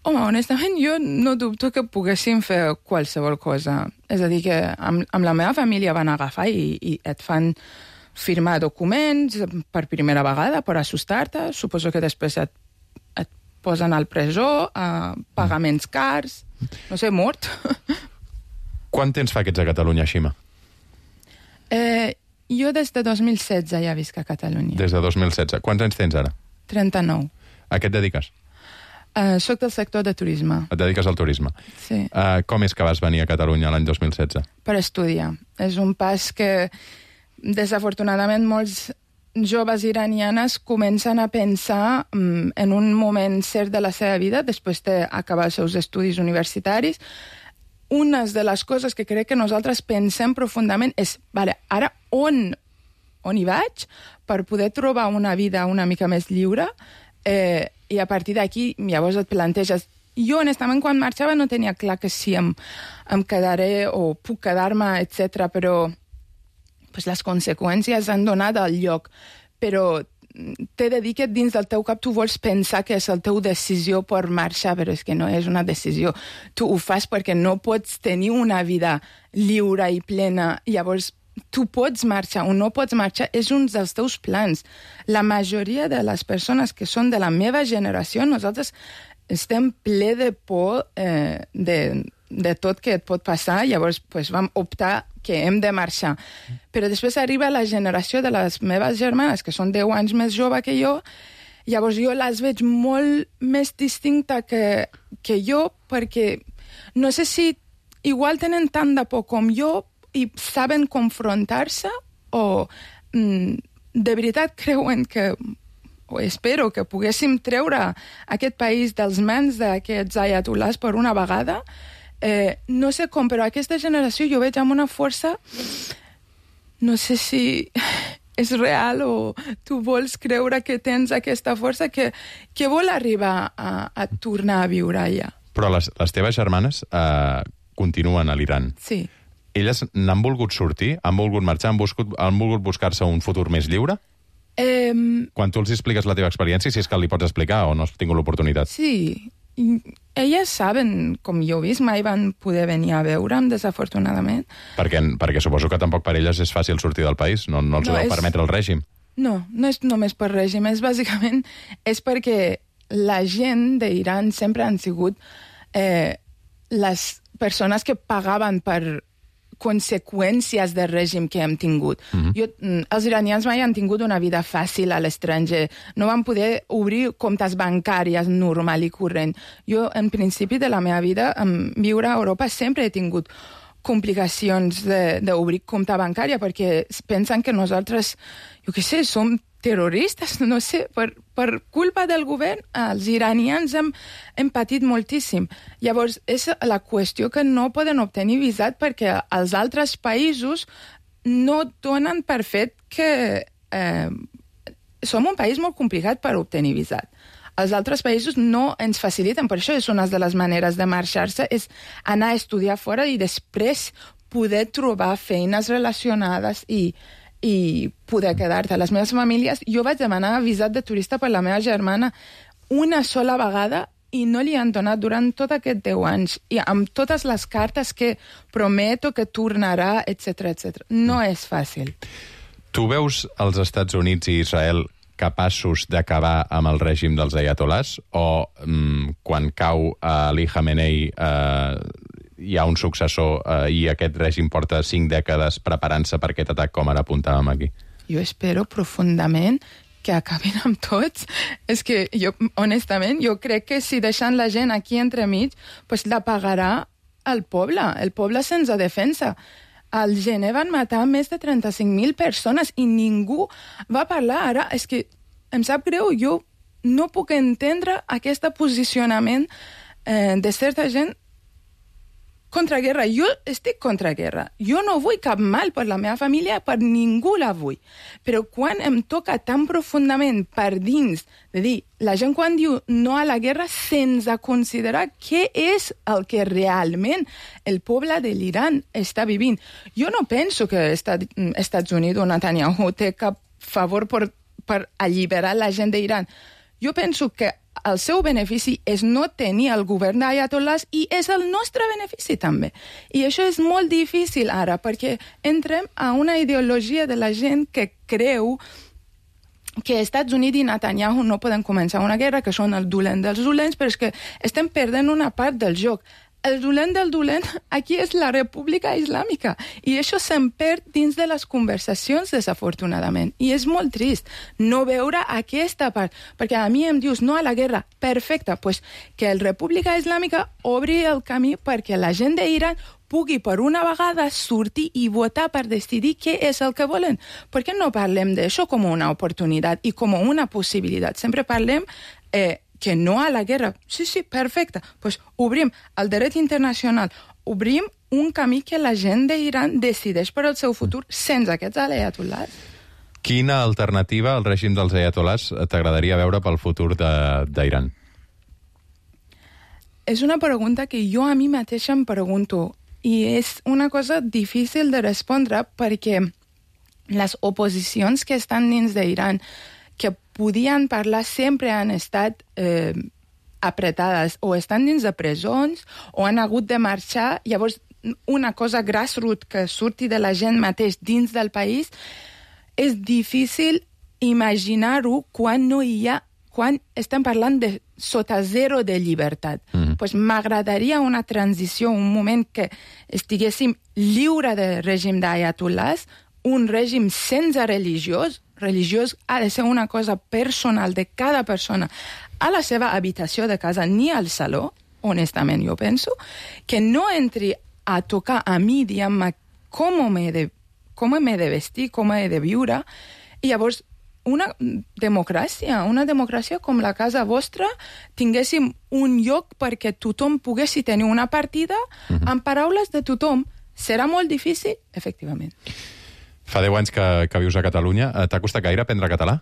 Home, honestament, jo no dubto que poguéssim fer qualsevol cosa. És a dir, que amb la meva família van agafar i et fan firmar documents per primera vegada per assustar-te. Suposo que després et posen al presó, pagaments cars, no sé, mort. Quant temps fa que ets a Catalunya, Xima? Jo des de 2016 ja visc a Catalunya. Des de 2016. Quants anys tens ara? 39. A què et dediques? Soc del sector de turisme. Et dediques al turisme. Sí. Com és que vas venir a Catalunya l'any 2016? Per estudiar. És un pas que, desafortunadament, molts joves iranianes comencen a pensar en un moment cert de la seva vida, després d'acabar els seus estudis universitaris. Una de les coses que crec que nosaltres pensem profundament és, ara on hi vaig per poder trobar una vida una mica més lliure, i a partir d'aquí llavors et planteges. Jo, honestament, quan marxava no tenia clar que si em quedaré o puc quedar-me, etc. però les conseqüències han donat al lloc. Però t'he de dir que dins del teu cap tu vols pensar que és la teva decisió per marxar, però és que no és una decisió. Tu ho fas perquè no pots tenir una vida lliure i plena. Llavors, tu pots marxar o no pots marxar, és un dels teus plans. La majoria de les persones que són de la meva generació, nosaltres estem ple de por de tot que et pot passar, llavors vam optar que hem de marxar. Però després arriba la generació de les meves germanes, que són 10 anys més jove que jo, llavors jo les veig molt més distinta que jo, perquè no sé si igual tenen tant de por com jo i saben confrontar-se o de veritat creuen que, o espero que poguéssim treure aquest país dels mans d'aquests ayatollahs per una vegada. No sé com, però aquesta generació jo veig amb una força, no sé si és real o tu vols creure que tens aquesta força que vol arribar a tornar a viure allà. Però les teves germanes continuen a l'Iran. Sí. Elles n'han volgut sortir? Han volgut marxar? Han volgut buscar-se un futur més lliure? Quan tu els expliques la teva experiència, si és que li pots explicar o no has tingut l'oportunitat. Sí. Elles saben, com jo he vist, mai van poder venir a veure'm, desafortunadament. Perquè suposo que tampoc per elles és fàcil sortir del país, no els ho deu permetre el règim. No és només per règim, bàsicament és perquè la gent d'Iran sempre han sigut les persones que pagaven per conseqüències del règim que hem tingut. Els iranians mai han tingut una vida fàcil a l'estranger. No van poder obrir comptes bancàries normal i corrent. Jo, en principi de la meva vida, viure a Europa sempre he tingut complicacions d'obrir compte bancària perquè pensen que nosaltres, jo què sé, som terroristes, no sé, per culpa del govern, els iranians hem patit moltíssim. Llavors, és la qüestió que no poden obtenir visat perquè els altres països no donen per fet que som un país molt complicat per obtenir visat. Els altres països no ens faciliten, per això és una de les maneres de marxar-se, és anar a estudiar fora i després poder trobar feines relacionades i poder quedar-te. Les meves famílies, jo vaig demanar visat de turista per la meva germana una sola vegada i no li han donat durant tot aquest 10 anys. I amb totes les cartes que prometo que tornarà, etc. No és fàcil. Tu veus els Estats Units i Israel capaços d'acabar amb el règim dels ayatolás o quan cau Ali Khamenei hi ha un successor i aquest règim porta 5 dècades preparant-se per aquest atac, com ara apuntàvem aquí? Jo espero profundament que acabin amb tots. És que jo, honestament, jo crec que si deixant la gent aquí entremig, pues la pagarà el poble sense defensa. Al gener van matar més de 35.000 persones i ningú va parlar. Ara, és que em sap greu, jo no puc entendre aquest posicionament de certa gent contra guerra. Jo estic contra guerra. Jo no vull cap mal per la meva família, per ningú la vull. Però quan em toca tan profundament per dins de dir, la gent quan diu no a la guerra sense considerar què és el que realment el poble de l'Iran està vivint. Jo no penso que Estats Units o Netanyahu té cap favor per alliberar la gent d'Iran. Jo penso que el seu benefici és no tenir el govern d'ayatollahs i és el nostre benefici també. I això és molt difícil ara, perquè entrem a una ideologia de la gent que creu que Estats Units i Netanyahu no poden començar una guerra, que són el dolent dels dolents, però és que estem perdent una part del joc. El dolent del dolent aquí és la República Islàmica i això se'n perd dins de les conversacions, desafortunadament. I és molt trist no veure aquesta part, perquè a mi em dius no a la guerra, perfecte, pues que la República Islàmica obri el camí perquè la gent d'Iran pugui per una vegada sortir i votar per decidir què és el que volen. Per què no parlem d'això com una oportunitat i com una possibilitat? Sempre parlem que no a la guerra. Sí, perfecte. Pues obrim el dret internacional, obrim un camí que la gent d'Iran decideix per al seu futur sense aquests ayatollahs. Quina alternativa al règim dels ayatollahs t'agradaria veure pel futur d'Iran? És una pregunta que jo a mi mateixa em pregunto i és una cosa difícil de respondre perquè les oposicions que estan dins d'Iran que podien parlar sempre han estat apretades o estan dins de presons o han hagut de marxar. Llavors, una cosa grassroots que surti de la gent mateix dins del país és difícil imaginar-ho quan estem parlant de sota zero de llibertat. Pues m'agradaria una transició, un moment que estiguéssim lliure de règim d'ayatollahs, un règim sense religiós ha de ser una cosa personal de cada persona a la seva habitació de casa, ni al saló, honestament jo penso, que no entri a tocar a mi, diguem-me, com m'he de vestir, com he de viure, i llavors una democràcia com la casa vostra, tinguéssim un lloc perquè tothom poguessi tenir una partida amb paraules de tothom. Serà molt difícil? Efectivament. Fa 10 anys que vius a Catalunya. T'ha costat gaire aprendre català?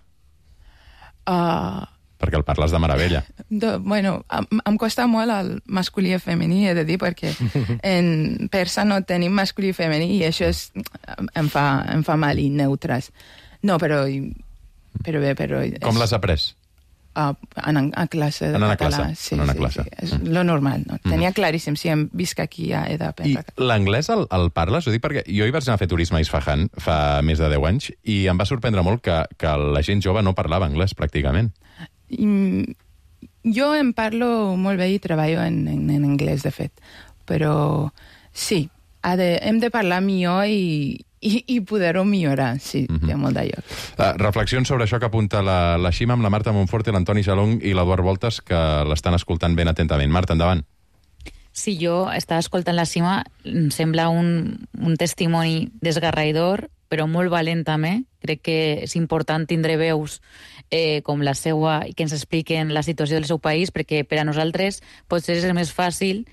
Perquè el parles de meravella. Bueno, em costa molt el masculí i femení, he de dir, perquè en persa no tenim masculí i femení i això em fa mal i neutres. No, però bé, però... Com l'has après? A classe de català. Sí, és lo normal. No? Tenia claríssim, si em visc aquí ja he d'aprendre. I l'anglès el parles? Ho dic perquè jo hi vaig anar a fer turisme a Isfahan fa més de 10 anys i em va sorprendre molt que la gent jove no parlava anglès, pràcticament. Jo em parlo molt bé i treballo en anglès, de fet. Però sí, hem de parlar millor i poder-ho millorar, sí, té molt de lloc. Reflexions sobre això que apunta la Xima amb la Marta Monforte, l'Antoni Jalong i l'Eduard Voltes, que l'estan escoltant ben atentament. Marta, endavant. Sí, jo estava escoltant la Xima, em sembla un testimoni desgarraïdor, però molt valent també. Crec que és important tindre veus com la seva i que ens expliquen la situació del seu país, perquè per a nosaltres potser és més fàcil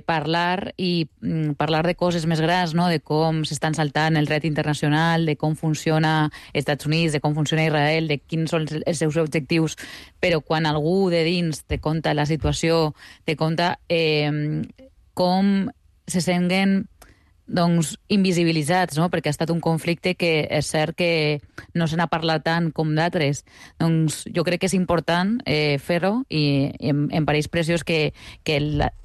parlar de coses més grans, no? De com s'estan saltant el dret internacional, de com funciona els Estats Units, de com funciona Israel, de quins són els seus objectius, però quan algú de dins te conta la situació, te conta com se senten invisibilitzats, no? Perquè ha estat un conflicte que és cert que no se n'ha parlat tant com d'altres. Doncs jo crec que és important fer-ho i em pareix preciós que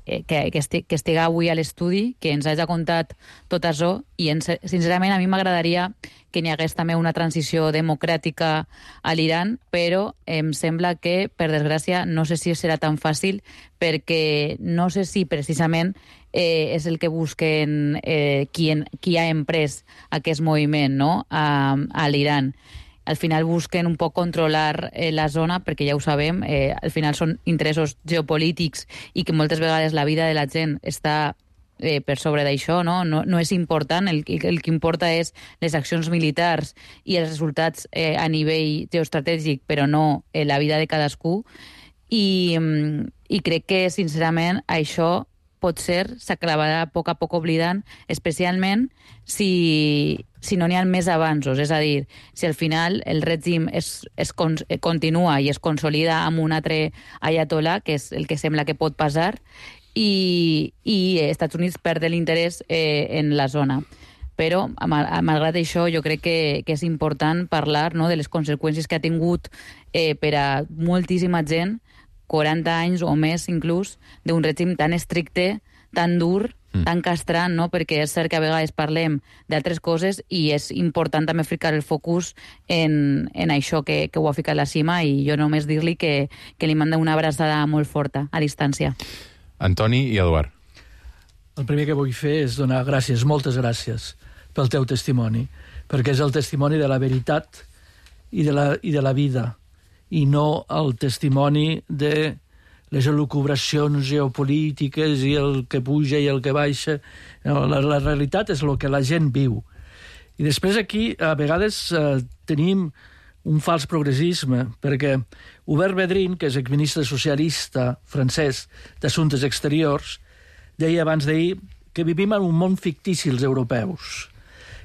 estigui avui a l'estudi, que ens hagi contat tot això i sincerament a mi m'agradaria que n'hi hagués també una transició democràtica a l'Iran, però em sembla que, per desgràcia, no sé si serà tan fàcil perquè no sé si precisament és el que busquen qui ha emprès aquest moviment, no? A l'Iran. Al final busquen un poc controlar la zona, perquè ja ho sabem, al final són interessos geopolítics i que moltes vegades la vida de la gent està per sobre d'això, no? No és important, el que importa és les accions militars i els resultats a nivell geoestratègic, però no la vida de cadascú. I crec que, sincerament, això potser s'acabarà a poc oblidant, especialment si no n'hi ha més avanços. És a dir, si al final el règim continua i es consolida amb un altre ayatollah, que és el que sembla que pot passar, i Estats Units perd l'interès en la zona. Però, malgrat això, jo crec que és important parlar, no, de les conseqüències que ha tingut per a moltíssima gent 40 anys o més, inclús, d'un règim tan estricte, tan dur, tan castrant, no? Perquè és cert que a vegades parlem d'altres coses i és important també ficar el focus en això que ho ha ficat la Xima i jo només dir-li que li manda una abraçada molt forta, a distància. Antoni i Eduard. El primer que vull fer és donar gràcies, moltes gràcies, pel teu testimoni, perquè és el testimoni de la veritat i de la vida, i no el testimoni de les elucubracions geopolítiques i el que puja i el que baixa. No, la realitat és el que la gent viu. I després aquí, a vegades, tenim un fals progressisme, perquè Hubert Védrine, que és exministre socialista francès d'Assumptes Exteriors, deia abans d'ahir que vivim en un món fictici els europeus.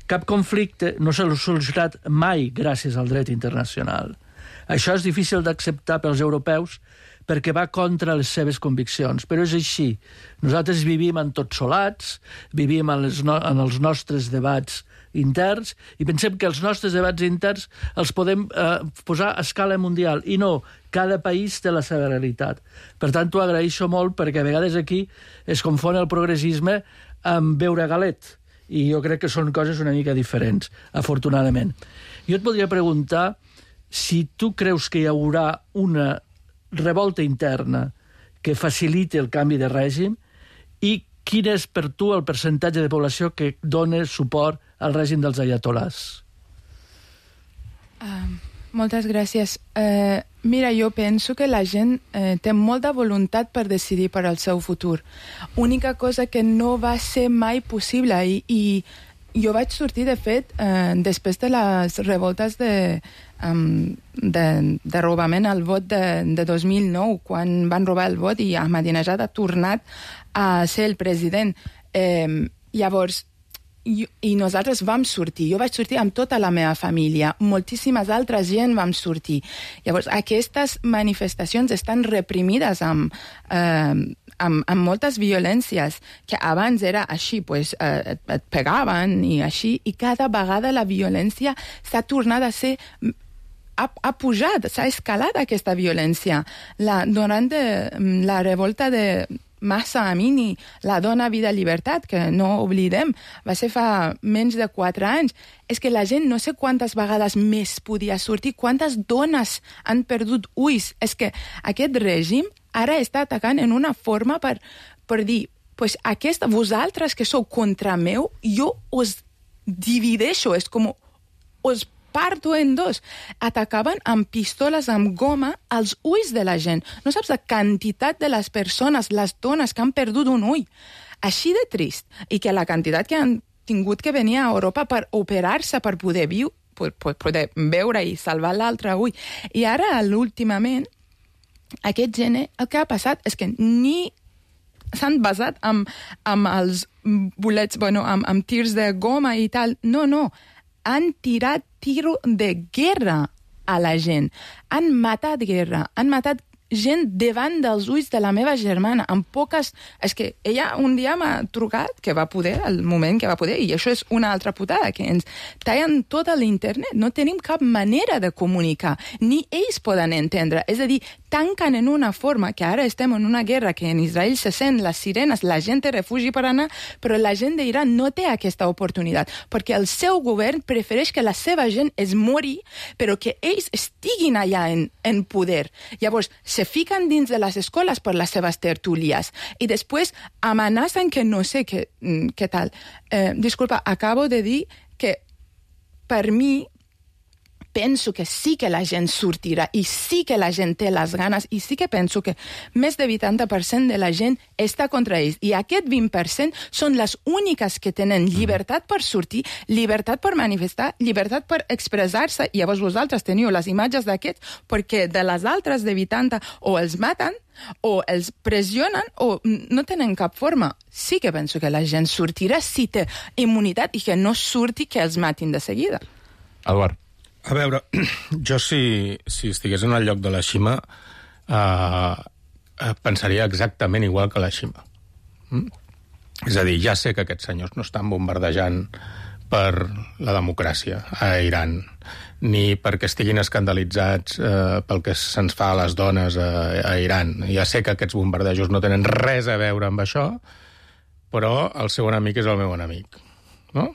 Cap conflicte no s'ha solucionat mai gràcies al dret internacional. Això és difícil d'acceptar pels europeus perquè va contra les seves conviccions, però és així. Nosaltres vivim entotsolats, vivim en els nostres debats interns i pensem que els nostres debats interns els podem posar a escala mundial i no, cada país té la seva realitat. Per tant, t'ho agraeixo molt perquè a vegades aquí es confon el progressisme amb beure galet i jo crec que són coses una mica diferents, afortunadament. Jo et podria preguntar si tu creus que hi haurà una revolta interna que faciliti el canvi de règim i quin és per tu el percentatge de població que dona suport al règim dels ayatolás? Moltes gràcies. Mira, jo penso que la gent té molta voluntat per decidir per al seu futur. Única cosa que no va ser mai possible i jo vaig sortir, de fet, després de les revoltes de robament al vot de 2009, quan van robar el vot i Ahmadinejad ha tornat a ser el president. Llavors, I nosaltres vam sortir. Jo vaig sortir amb tota la meva família. Moltíssimes altres gent vam sortir. Llavors, aquestes manifestacions estan reprimides amb moltes violències, que abans era així, pues, et pegaven i així, i cada vegada la violència s'ha tornat a ser... ha pujat, s'ha escalat aquesta violència. Durant la revolta de Mahsa Amini, la dona, vida, llibertat, que no oblidem, va ser fa menys de 4 anys. És que la gent no sé quantes vegades més podia sortir, quantes dones han perdut ulls. És que aquest règim ara està atacant en una forma per dir, pues vosaltres que sou contra meu, jo us divideixo, és com us parto en dos. Atacaven amb pistoles, amb goma, als ulls de la gent. No saps la quantitat de les persones, les dones que han perdut un ull. Així de trist. I que la quantitat que han tingut que venir a Europa per operar-se, per poder poder veure i salvar l'altre ull. I ara, últimament, aquest gener, el que ha passat és que ni s'han basat amb els bolets, amb tirs de goma i tal. No. Han tirat tiro de guerra a la gent. Han matat guerra. Han matat gent davant dels ulls de la meva germana, amb poques... És que ella un dia m'ha trucat, que va poder, al moment que va poder, i això és una altra putada, que ens tallen tot l'internet. No tenim cap manera de comunicar, ni ells poden entendre. És a dir, tanquen en una forma que ara estem en una guerra que en Israel se sent les sirenes, la gent té refugi per anar, però la gent d'Iran no té aquesta oportunitat, perquè el seu govern prefereix que la seva gent es mori, però que ells estiguin allà en poder. Llavors, se fiquen dins de les escoles per les seves tertúlies i després amenacen que no sé què tal. Disculpa, acabo de dir que per mi penso que sí que la gent sortirà i sí que la gent té les ganes i sí que penso que més de 80% de la gent està contra ells. I aquest 20% són les úniques que tenen llibertat per sortir, llibertat per manifestar, llibertat per expressar-se. I llavors vosaltres teniu les imatges d'aquests perquè de les altres de 80 o els maten o els pressionen o no tenen cap forma. Sí que penso que la gent sortirà si té immunitat i que no surti que els matin de seguida. Eduard. A veure, jo si estigués en el lloc de la Xima pensaria exactament igual que la Xima. És a dir, ja sé que aquests senyors no estan bombardejant per la democràcia a Iran, ni perquè estiguin escandalitzats pel que se'ns fa a les dones a Iran. Ja sé que aquests bombardejos no tenen res a veure amb això, però el seu enemic és el meu enemic, no?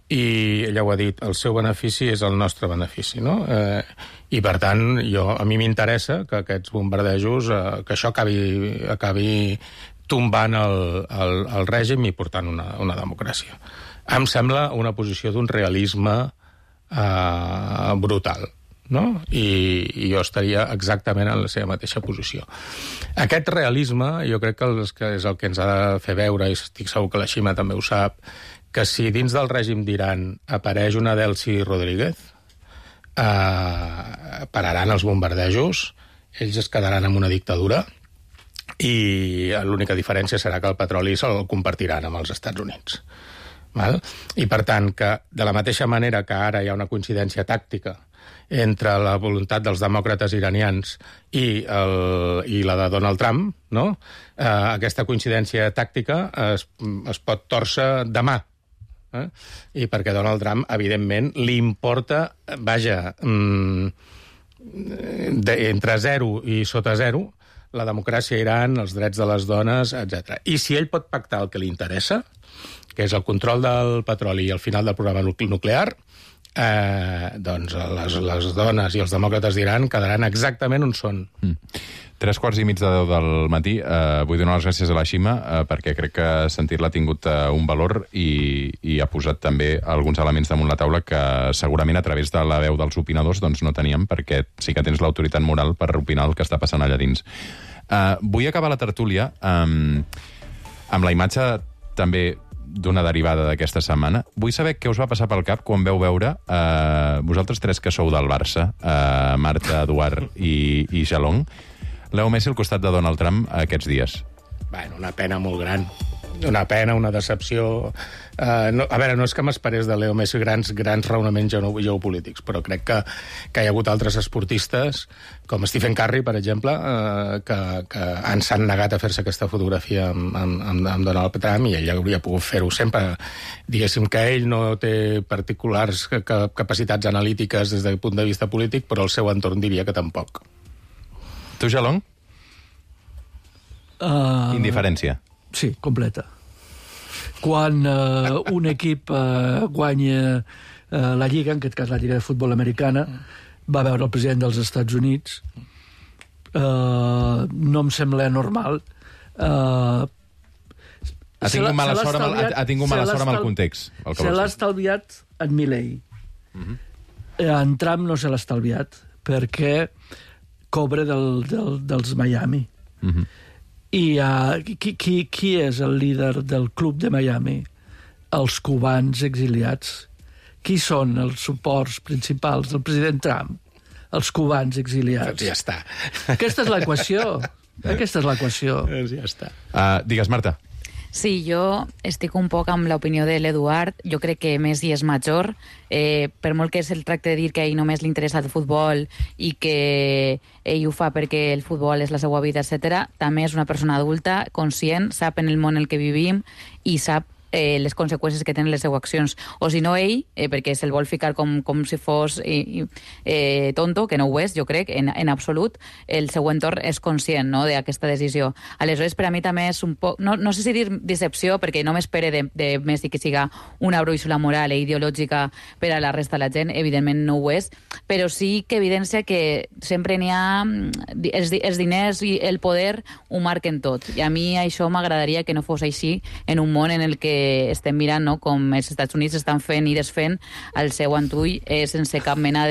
I ella ho ha dit, el seu benefici és el nostre benefici, no? I, per tant, a mi m'interessa que aquests bombardejos, que això acabi tombant el règim i portant una democràcia. Em sembla una posició d'un realisme brutal, no? I jo estaria exactament en la seva mateixa posició. Aquest realisme, jo crec que és el que ens ha de fer veure, i estic segur que la Xima també ho sap, que si dins del règim d'Iran apareix una Delcy Rodríguez, pararan els bombardejos, ells es quedaran amb una dictadura i l'única diferència serà que el petroli se'l compartiran amb els Estats Units. Val? I, per tant, que de la mateixa manera que ara hi ha una coincidència tàctica entre la voluntat dels demòcrates iranians i la de Donald Trump, no? Aquesta coincidència tàctica es pot tòrcer demà. I perquè Donald Trump, evidentment, li importa, entre 0 i sota 0, la democràcia a Iran, els drets de les dones, etc. I si ell pot pactar el que li interessa, que és el control del petroli i el final del programa nuclear, doncs les dones i els demòcrates d'Iran quedaran exactament on són. 9:45 del matí. Vull donar les gràcies a la Xima perquè crec que sentir-la ha tingut un valor i ha posat també alguns elements damunt la taula que segurament a través de la veu dels opinadors doncs no teníem, perquè sí que tens l'autoritat moral per opinar el que està passant allà dins. Vull acabar la tertúlia amb la imatge també d'una derivada d'aquesta setmana. Vull saber què us va passar pel cap quan veu veure vosaltres tres que sou del Barça, Marta, Eduard i Jalong, Leo Messi al costat de Donald Trump aquests dies. Bueno, una pena molt gran. una pena, una decepció. A veure, no és que m'esperés de Leo Messi grans raonaments geopolítics, però crec que hi ha hagut altres esportistes, com Stephen Curry, per exemple, que s'han negat a fer-se aquesta fotografia amb Donald Trump, i ell hauria pogut fer-ho sempre. Diguéssim que ell no té particulars capacitats analítiques des del punt de vista polític, però el seu entorn diria que tampoc. Tu, Jalong? Indiferència. Sí, completa. Quan un equip guanya la Lliga, en aquest cas la Lliga de Futbol Americana, va veure el president dels Estats Units, no em sembla normal. Ha tingut mala sort amb el context. Se l'ha estalviat en Milley. En Trump no se l'ha estalviat, perquè cobra dels Miami. I qui és el líder del club de Miami? Els cubans exiliats. Qui són els suports principals del president Trump? Els cubans exiliats. Ja està. Aquesta és l'equació. Ja està. Digues, Marta. Sí, jo estic un poc amb l'opinió de l'Eduard. Jo crec que Messi és major. Per molt que se'l tracte de dir que a ell només li interessa el futbol i que ell ho fa perquè el futbol és la seva vida, etc., també és una persona adulta, conscient, sap en el món en el que vivim i sap les conseqüències que tenen les seues accions. O si no ell, perquè se'l vol ficar com si fos tonto, que no ho és, jo crec, en absolut, el seu entorn és conscient, no?, d'aquesta decisió. Aleshores, per a mi també és un poc... No sé si dir decepció, perquè no m'espere de Messi que siga una brúixola moral i ideològica per a la resta de la gent, evidentment no ho és, però sí que evidència que sempre n'hi ha... Els diners i el poder ho marquen tot. I a mi això m'agradaria que no fos així en un món en el que estem mirant, no?, com els Estats Units estan fent i desfent el seu antull sense cap mena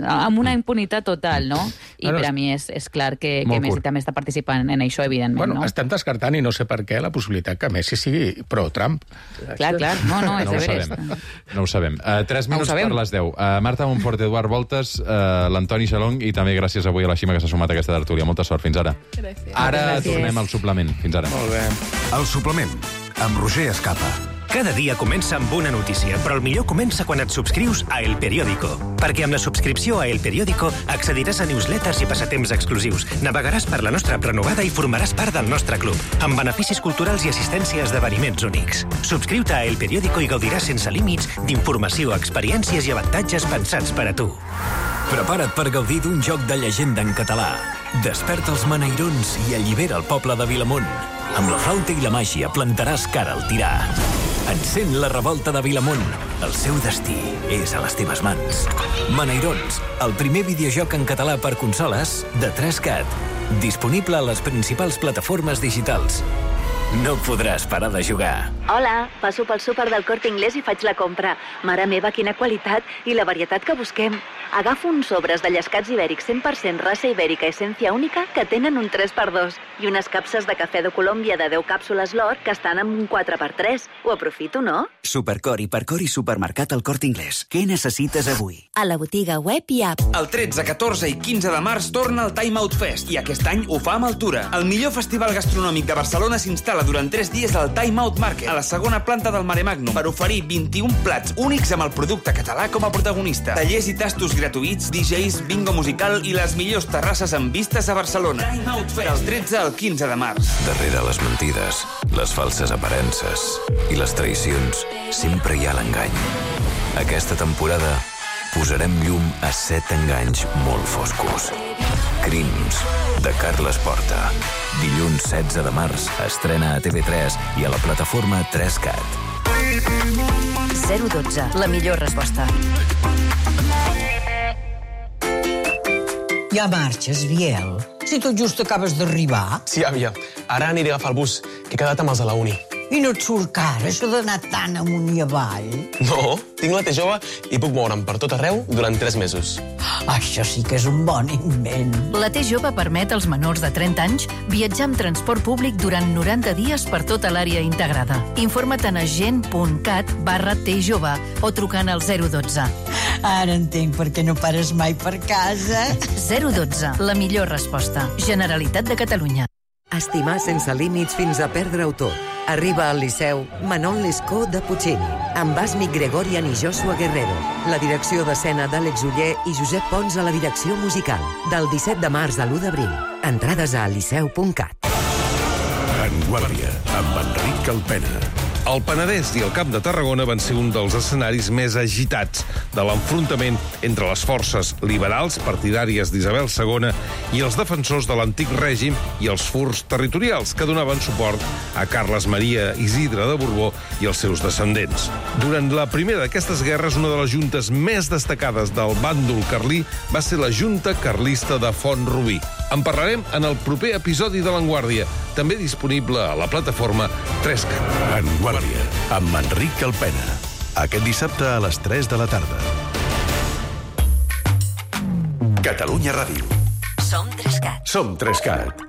amb una impunitat total, no? I per a mi és clar que Messi també està participant en això, evidentment. Bueno, estem descartant, i no sé per què, la possibilitat que Messi sigui pro-Trump. Clar, no, és de veres. No ho sabem. 3 minuts per les 10. Marta Montfort, Eduard Voltes, l'Antoni Jalong, i també gràcies avui a la Xima que s'ha sumat a aquesta tertúlia. Molta sort, fins ara. Gràcies. Ara tornem al suplement. Fins ara. Molt bé. El suplement, amb Roger Escapa. Cada dia comença amb una notícia, però el millor comença quan et subscrius a El Periódico. Perquè amb la subscripció a El Periódico accediràs a newsletters i passatemps exclusius, navegaràs per la nostra app renovada i formaràs part del nostre club, amb beneficis culturals i assistència a esdeveniments únics. Subscriu-te a El Periódico i gaudiràs sense límits d'informació, experiències i avantatges pensats per a tu. Prepara't per gaudir d'un joc de llegenda en català. Desperta els maneirons i allibera el poble de Vilamunt. Amb la flauta i la màgia plantaràs cara al tirà. Encén la revolta de Vilamunt. El seu destí és a les teves mans. Maneirons, el primer videojoc en català per consoles de 3CAT. Disponible a les principals plataformes digitals. No podràs parar de jugar. Hola, passo pel súper del Corte Inglés i faig la compra. Mare meva, quina qualitat i la varietat que busquem. Agafo uns sobres de llescats ibèrics 100% raça ibèrica essència única que tenen un 3x2 i unes capses de cafè de Colòmbia de 10 càpsules l'or que estan amb un 4x3. Ho aprofito, no? Supercor, Hipercor i Supermercat al Corte Inglés. Què necessites avui? A la botiga web i app. El 13, 14 i 15 de març torna el Time Out Fest i aquest any ho fa amb Altura. El millor festival gastronòmic de Barcelona s'instal·la durant 3 dies al Time Out Market, a la segona planta del Mare Magnum, per oferir 21 plats únics amb el producte català com a protagonista. Tallers i tastos gratuïts, DJs, bingo musical i les millors terrasses amb vistes a Barcelona. Time Out Fest, del 13 al 15 de març. Darrere les mentides, les falses aparences i les traïcions, sempre hi ha l'engany. Aquesta temporada posarem llum a 7 enganys molt foscos. Crims, de Carles Porta. Dilluns 16 de març estrena a TV3 i a la plataforma 3CAT. 012, la millor resposta. Ja marxes, Biel? Si tot just acabes d'arribar. Sí, àvia. Ara aniré a agafar el bus, que he quedat amb els de la uni. I no et surt car, això d'anar tan amunt i avall? No, tinc la T jove i puc moure'm per tot arreu durant 3 mesos. Això sí que és un bon invent. La T jove permet als menors de 30 anys viatjar amb transport públic durant 90 dies per tota l'àrea integrada. Informa't a gent.cat/T jove o trucant al 012. Ara entenc per què no pares mai per casa. 012, la millor resposta. Generalitat de Catalunya. Estimar sense límits fins a perdre-ho tot. Arriba al Liceu Manon Lescaut de Puccini, amb Asmik Gregorian i Joshua Guerrero. La direcció d'escena d'Àlex Uller i Josep Pons a la direcció musical. Del 17 de març a l'1 d'abril. Entrades a liceu.cat. En Guàrdia, amb Enric Calpena. El Penedès i el Camp de Tarragona van ser un dels escenaris més agitats de l'enfrontament entre les forces liberals partidàries d'Isabel II i els defensors de l'antic règim i els furs territorials que donaven suport a Carles Maria Isidre de Borbó i els seus descendents. Durant la primera d'aquestes guerres, una de les juntes més destacades del bàndol carlí va ser la Junta Carlista de Font-rubí. En parlarem en el proper episodi de l'Enguàrdia, també disponible a la plataforma 3cat. En Guàrdia, amb Enric Calpena. Aquest dissabte a les 3 de la tarda. Catalunya Ràdio. Som 3cat. Som 3cat.